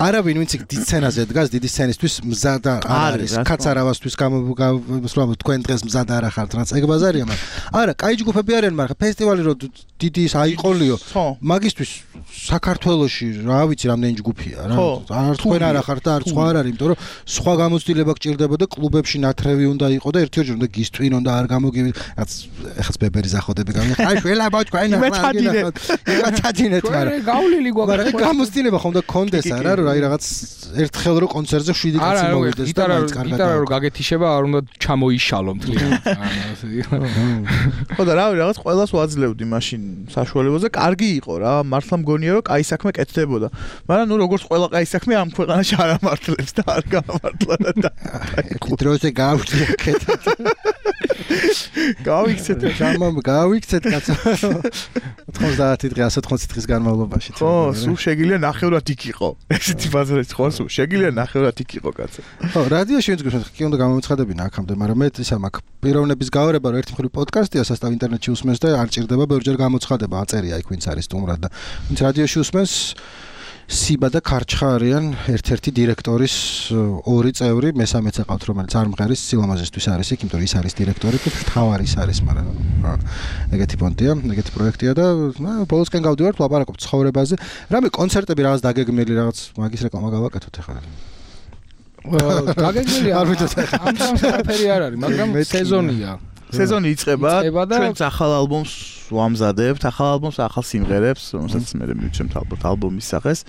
არავინ ვინც იქ დიდ სცენაზე დგას დიდი სცენისთვის მზად არ არის კაცარავასთვის გამოსვლამ თქვენ დღეს მზად არ ახართ რაც ეგ ბაზარია მაგრამ არა კაი ჯგუფები არიან მაგრამ ფესტივალი რო დიდი ის აიყოლიო მაგისთვის საქართველოში რა ვიცი რამდენი ჯგუფია რა არ თქვენ არ ახართ და არ სხვა არ არის იმიტომ რომ სხვა გამოცდილება გჭირდებოდა კლუბებში ნათრევი უნდა იყო და ერთ-ერთი უნდა გისტვინ უნდა არ გამოგივიდ რაც ეხაც ბებერი ზახოდები გამიხ აი შველა ბავშვი აი იმათადინეთ მაგრამ გავლილი გვაქვს მაგრამ გამოცდილება ხომ და კონდეს არა რომ აი რაღაც ერთხელ რო კონცერტზე 7 კაცი მოვიდეს და მაინც კარგად გიტარა რო გაგეთიშება არ უნდა ჩამოიშალო მთლიანად ხო და რავი რაღაც ყველას ვაძლევდი მაშინ საშუალებაზე კარგი იყო რა მართლა მგონია რომ კაი საქმე კეთდებოდა მაგრამ ნუ როგორც ყველა კაი საქმე ამ ქვეყანაში არ ამართლებს და არ გამართლა და დროზე გავჭრე კეთეთ გავიქცეთ გავიქცეთ კაცო 90 დღე 180 დღის განმავლობაში ხო სულ შეგიძლია ნახევრად იქ იყო ესეთი ბაზარიც ხო სულ შეგიძლია ნახევრად იქ იყო კაცო ხო რადიოში ვინც გვიხსენებთ კი უნდა გამომეცხადებინა აქამდე მაგრამ მე ისა მაქვს პიროვნების გაორება რომ ერთი მხრივ პოდკასტია სასტავ ინტერნეტში უსმენს და არ ჭირდება ბევრჯერ გამოცხადება აწერია იქ ვინც არის სტუმრად და ვინც რადიოში უსმენს სიბა და ქარჩხა არიან ერთ-ერთი დირექტორის ორი წევრი მესამეც aqvt რომელიც არ მღერის სილამაზისთვის არის იქ იმიტომ რომ ის არის დირექტორი და თავარი ის არის მაგრამ ეგეთი პონტია ეგეთი პროექტია და ბოლოსკენ გავდივართ ლაპარაკობთ ცხოვრებაზე რამე კონცერტები რაღაც დაგეგმილი რაღაც მაგის რეკლამა გავაკეთოთ ახლა დაგეგმილი არ ვიცი ამ სამფერი არ არის მაგრამ სეზონია სეზონი იწყება ჩვენც ახალ ალბომს ვამზადებთ ახალ ალბომს ახალ სიმღერებს რომელსაც მე მივჩემთ ალბომის სახეს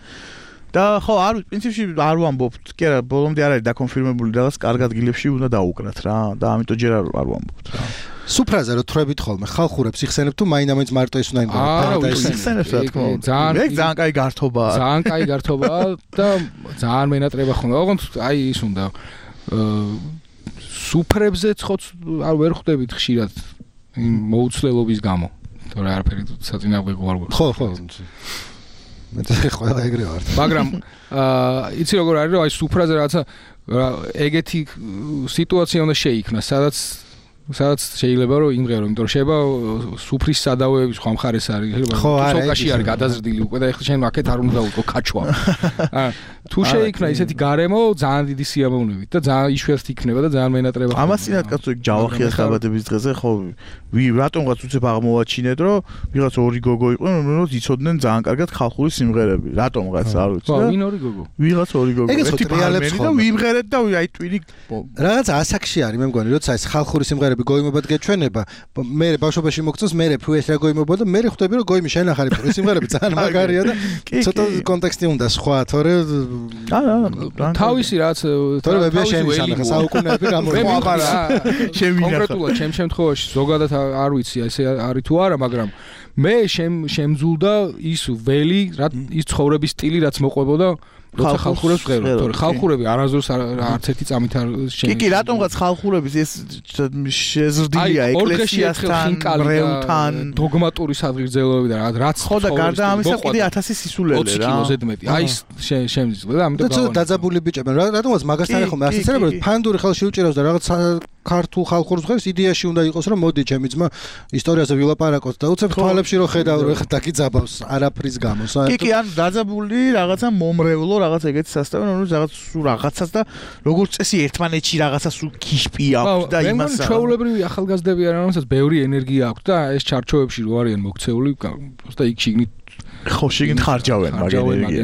და ხო არ პრინციპში არ ვამბობთ კი არა ბოლომდე არ არის დაკონფირმებული რაღაც კარგ ადგილებში უნდა დაუკრათ რა და ამიტომ ჯერ არ ვამბობთ რა სუფრაზე რო თრებით ხოლმე ხალხურებს იხსენებ თუ მაინც მარტო ის უნდა იმდენ იხსენებს რა თქმა უნდა ძალიან კაი გართობაა ძალიან კაი გართობაა და ძალიან მენატრება ხოლმე ოღონდ აი ის უნდა სუფრებზე ცხოც არ ვერ ხვდებით ხშირად მოუცლელობის გამო თორე არაფერი საწინააღმდეგო არ გვაქვს ხო მე ყველა ეგრე ვარ მაგრამ იცი როგორ არის რომ აი სუფრაზე რაღაცა ეგეთი სიტუაცია უნდა შეიქმნას სადაც შეიძლება რომ იმღერო იმიტომ რომ შეიძლება სუფრის სადავეების სხვა მხარეს არის სოკაში არის გადაზრდილი უკვე და ეხლა შენ აქეთ არ უნდა დაუწყო ქაჩვა თუ შეიქმნა ისეთი გარემო ძალიან დიდი სიამოვნებით და ძალიან იშვიათად იქნება და ძალიან მენატრება ამასინად კაცო იქ ჯავახიას დაბადების დღეზე ხო რატომღაც უცებ აღმოვაჩინეთ რომ ვიღაც ორი გოგო იყვნენ რომელსაც იცოდნენ ძალიან კარგად ხალხური სიმღერები რატომღაც არ ვიცი და ვინ ორი გოგო ვიღაც ორი გოგო ერთი ტრიალებს და ვიმღერეთ და აი ტვინი რაღაც ასაკში არის მე მგონი როცა ეს ხალხური სიმღერები გოიმობად გეჩვენება მე ბავშვობაში მოგწონს მე ფუეს რა გოიმობა და მე ხვდები რომ გოიმი შენ ახალი პური სიმღერები ძალიან მაგარია და ცოტა კონტექსტი უნდა სხვა თორე თავისი რაც თორე მე შენი სამხა საუკუნეები გამოიყარა შენ კონკრეტულად ჩემ შემთხვევაში ზოგადად არ ვიცი ესე არის თუ არა მაგრამ მე შემძულდა ის ველი ის ცხოვრების სტილი რაც მოყვებოდა როცა ხალხურებს ვღერო თორე ხალხურები არასდროს არც ერთი წამით არ შენ კი რატომღაც ხალხურების ეს შეზრდილია ეკლესიასთან რევთან დოგმატური სადღირძელოები და რაც ხო და გარდა ამისა კიდე 1000 სისულელე 20 კილოზე მეტი აი შემიძლია და ამიტომ და დაძაბული ბიჭები რატომღაც მაგასთან ხომ ასეცერებ რომ ფანდური ხელში უჭირავს და რაღაც ქართულ ხალხურს ხერს იდეაში უნდა იყოს რომ მოდი ჩემი ძმა ისტორიაზე ვილაპარაკოთ და უცებ თვალებში რომ ხედავ რომ ეხა დაგიძაბავს არაფრის გამო კი კი ან დაძაბული რაღაცა მომრევლო რაღაც ეგეთი სასტავი რომელიც რაღაც სულ რაღაცას და როგორც წესი ერთმანეთში რაღაცა სულ ქიშპი აქვს და იმას მე ჩვეულებრივი ახალგაზრდები არიან რომელსაც ბევრი ენერგია აქვს და ეს ჩარჩოებში რო არიან მოქცეული просто იქ შიგნით ხო შიგნით ხარჯავენ მაგ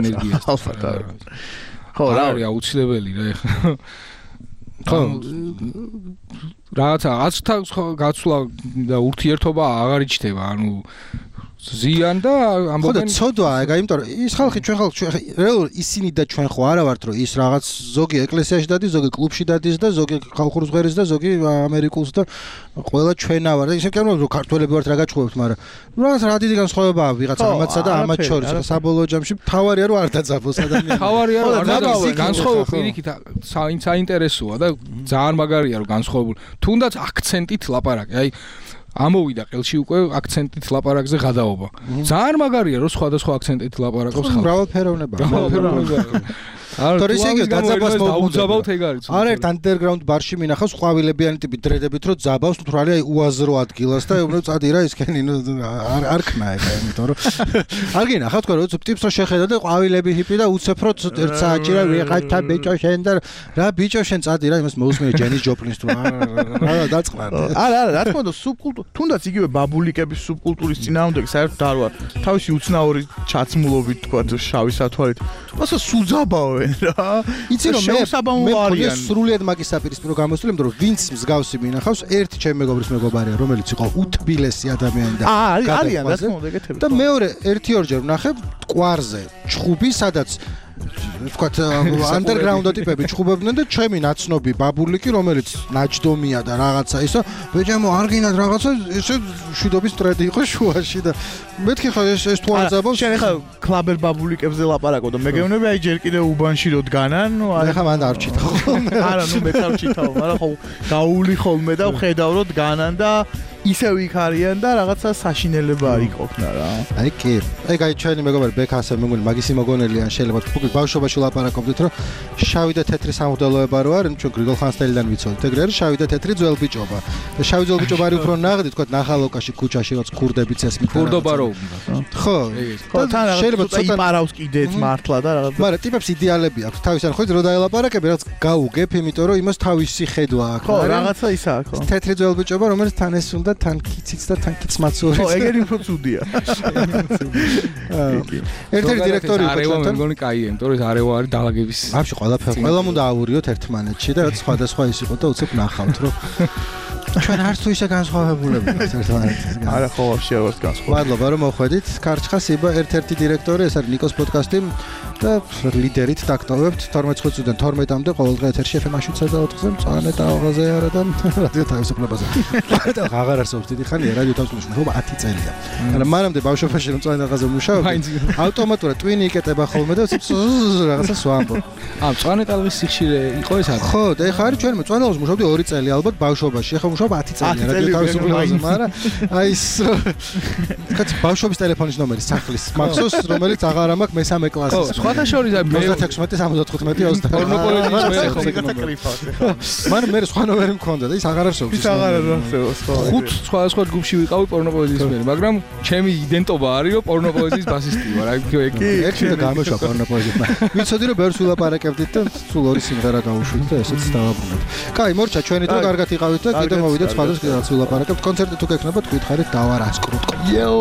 ენერგიას ხო რა არის აუცილებელი რა ეხლა ხო რაღაცა გაცვლა და ურთიერთობა აღარ იჩნდება ანუ ზიან და ხო და ამბობენ ცოდვა ეგ იმიტომ რომ ის ხალხი ჩვენ რეალურად ისინი და ჩვენ ხო არა ვართ რომ ის რაღაც ზოგი ეკლესიაში დადის ზოგი კლუბში დადის და ზოგი ხალხურ ზღერს და ზოგი ამერიკულს და ყველა ჩვენა ვარ და ისე კი არა რომ ქართველები ვართ რა გაჩხუბებთ მაგრამ რაღაც რა დიდი განსხვავებაა ვიღაცა ამათსა და ამათ შორის საბოლოო ჯამში თავარია რომ არ დაძაბოს ადამიანი თავარია რომ არ დაძაბოს განსხვავებული პირიქით საინტერესოა და ძალიან მაგარია რომ განსხვავებული თუნდაც აქცენტით ლაპარაკი აი ამოვიდა ყელში უკვე აქცენტით ლაპარაკზე გადაობა. ძალიან მაგარია რომ სხვადასხვა აქცენტით ლაპარაკობს ხალხი. მრავალფეროვნება. თორე ისე იგი დაძაბავს დაუძაბავთ ეგ არის. არ ერთ underground ბარში მინახავს ყვავილებიანი ტიპი დრედებით რომ ძაბავს თურალი აი უაზრო ადგილას და ეუბნებ წადი რა ისქენი არ ქნა ეგ იმიტომ რომ არ გინახავ თქვენ რომ ტიპს რო შეხედა და ყვავილები ჰიპი და უცებ რო ერთ საათში რა ვიღაცა ბიჭო შენ და რა ბიჭო შენ წადი რა იმას მოусმენი ჯენის ჯოპლინს თუ რა დაწყნარ. არა რა თქმა უნდა სუბკულტურა თუნდაც იგივე ბაბულიკების სუბკულტურის წინააღმდეგ საერთოდ არ ვარ. თავისი უცნაური ჩაცმულობით თქვა შავი სათვალით. ასე სუძაბავენ რა. იცი რომ მე სრულიად მაგის საპირისპირო გამოსული, იმიტომ რომ ვინც მსგავსი მინახავს, ერთი ჩემი მეგობრის მეგობარია, რომელიც იყო უთბილესი ადამიანი და არიან რა თქმა უნდა ეგეთები. და მეორე 1-2 ვნახებ კვარზე, ჩხუბი, სადაც ვთქვათ underground ტიპები ჩხუბებდნენ და ჩემი ნაცნობი ბაბულიკი, რომელიც ნაჯდომია და რაღაცა ისო, ბეჭამო არ გინდათ რაღაცა, ესე შვიდობის ტრედი იყო შუაში და მეთქი ხო ეს თუ არ ძაბავს. შენ ახლა კლაბერ ბაბულიკებზე ლაპარაკო და მე გეუბნები აი ჯერ კიდე უბანში რო დგანან, ნუ აი ხა მან არ ვჩითავ. არა, ნუ მე არ ვჩითავ, მაგრამ ხო გაული ხოლმე და ვხედავ რომ დგანან და ისევ იქ არიან და რაღაცა საშინელება არ იყოფნა რა. აი კი. ეგ აი ჩვენი მეგობარი ბექა ასე მეგონი მაგისი მოგონელიან შეიძლება თქვი ბავშვობაში ლაპარაკობდით რომ შავი და თეთრი სამღვდელოება რო არის ჩვენ გრიგოლ ხანძთელიდან ვიცოდით ეგრე არის შავი და თეთრი ძველ ბიჭობა და შავი ძველ ბიჭობა არის უფრო ნაღდი თქვა ნახალოკაში ქუჩაში რაც ქურდებიც ესმით ქურდობა რო უნდა ხო თან შეიძლება ცოტა იპარავს კიდეც მართლა და რაღაცა მაგრამ ტიპებს იდეალები აქვს თავისთან ხო რო დაელაპარაკები რაც გაუგებ იმიტომ რომ იმას თავისი ხედვა აქვს ხო რაღაცა ისაა ხო თეთრი ძველ ბიჭობა რომელიც თან ეს უნდა თან კიციც და თან კიც მაცური ხო ეგერი უფრო ცუდია ერთ-ერთი დირექტორი იყო არევა მე მგონი კაია იმიტომ რომ არევა არის დაალაგების ვაფშე ყველაფერი ყველამ უნდა ავურიოთ ერთმანეთში და რაც სხვადასხვა ის იყო და უცებ ნახავთ რომ ჩვენ არც თუ ისე განსხვავებულები ვართ ერთმანეთისგან არა ხო ვაფშე არ ვართ განსხვავებული მადლობა რომ მოხვედით კარჩხას იბა ერთ-ერთი დირექტორი ეს არის ნიკოს პოდკასტი და ლიდერით დაგტოვებთ 12 წუთიდან 12-მდე ყოველდღე ეთერში FM 7-ზე მწვანე ტალღაზე არა და რადიო თავისუფლებაზე და აღარ არსებობს დიდი ხანია რადიო თავისუფლებას მუშაობა 10 წელია მაგრამ მანამდე ბავშვობაში რომ მწვანე ტალღაზე მუშაობდი ავტომატურად ტვინი იკეტება ხოლმე და რაღაცა სვამბო მწვანე ტალღის სიხშირე იყო ეს არის ხო და ეხა არის ჩვენ მწვანე ტალღაზე მუშაობდი 2 წელი ალბათ ბავშვობაში ეხა მუშაობ 10 წელი რადიო თავისუფლებაზე მაგრამ აი ეს კაც ბავშვობის ტელეფონის ნომერი სახლის მახსოვს რომელიც აღარ ამაქვს მესამე კლასის სხვათა შორის მე 16-75-20 პორნოპოლიტიკის მე ხო მაგრამ მე სხვა ნომერი მქონდა და ის აღარ არსებობს ის აღარ არსებობს ხო ხუთ სხვა ჯგუფში ვიყავი პორნოპოლიტიკის მე მაგრამ ჩემი იდენტობა არის რომ პორნოპოლიტიკის ბასისტი ვარ აი ერთი და გამოშვა პორნოპოლიტიკა ვიცოდი რომ ბევრს ვილაპარაკებდით და სულ ორი სიმღერა გავუშვით და ესეც დავაბრუნოთ კაი მორჩა ჩვენი დრო კარგად იყავით და კიდე მოვიდეთ სხვადასხვა ვილაპარაკებთ კონცერტი თუ გექნებათ გითხარით დავარასკრუტ იო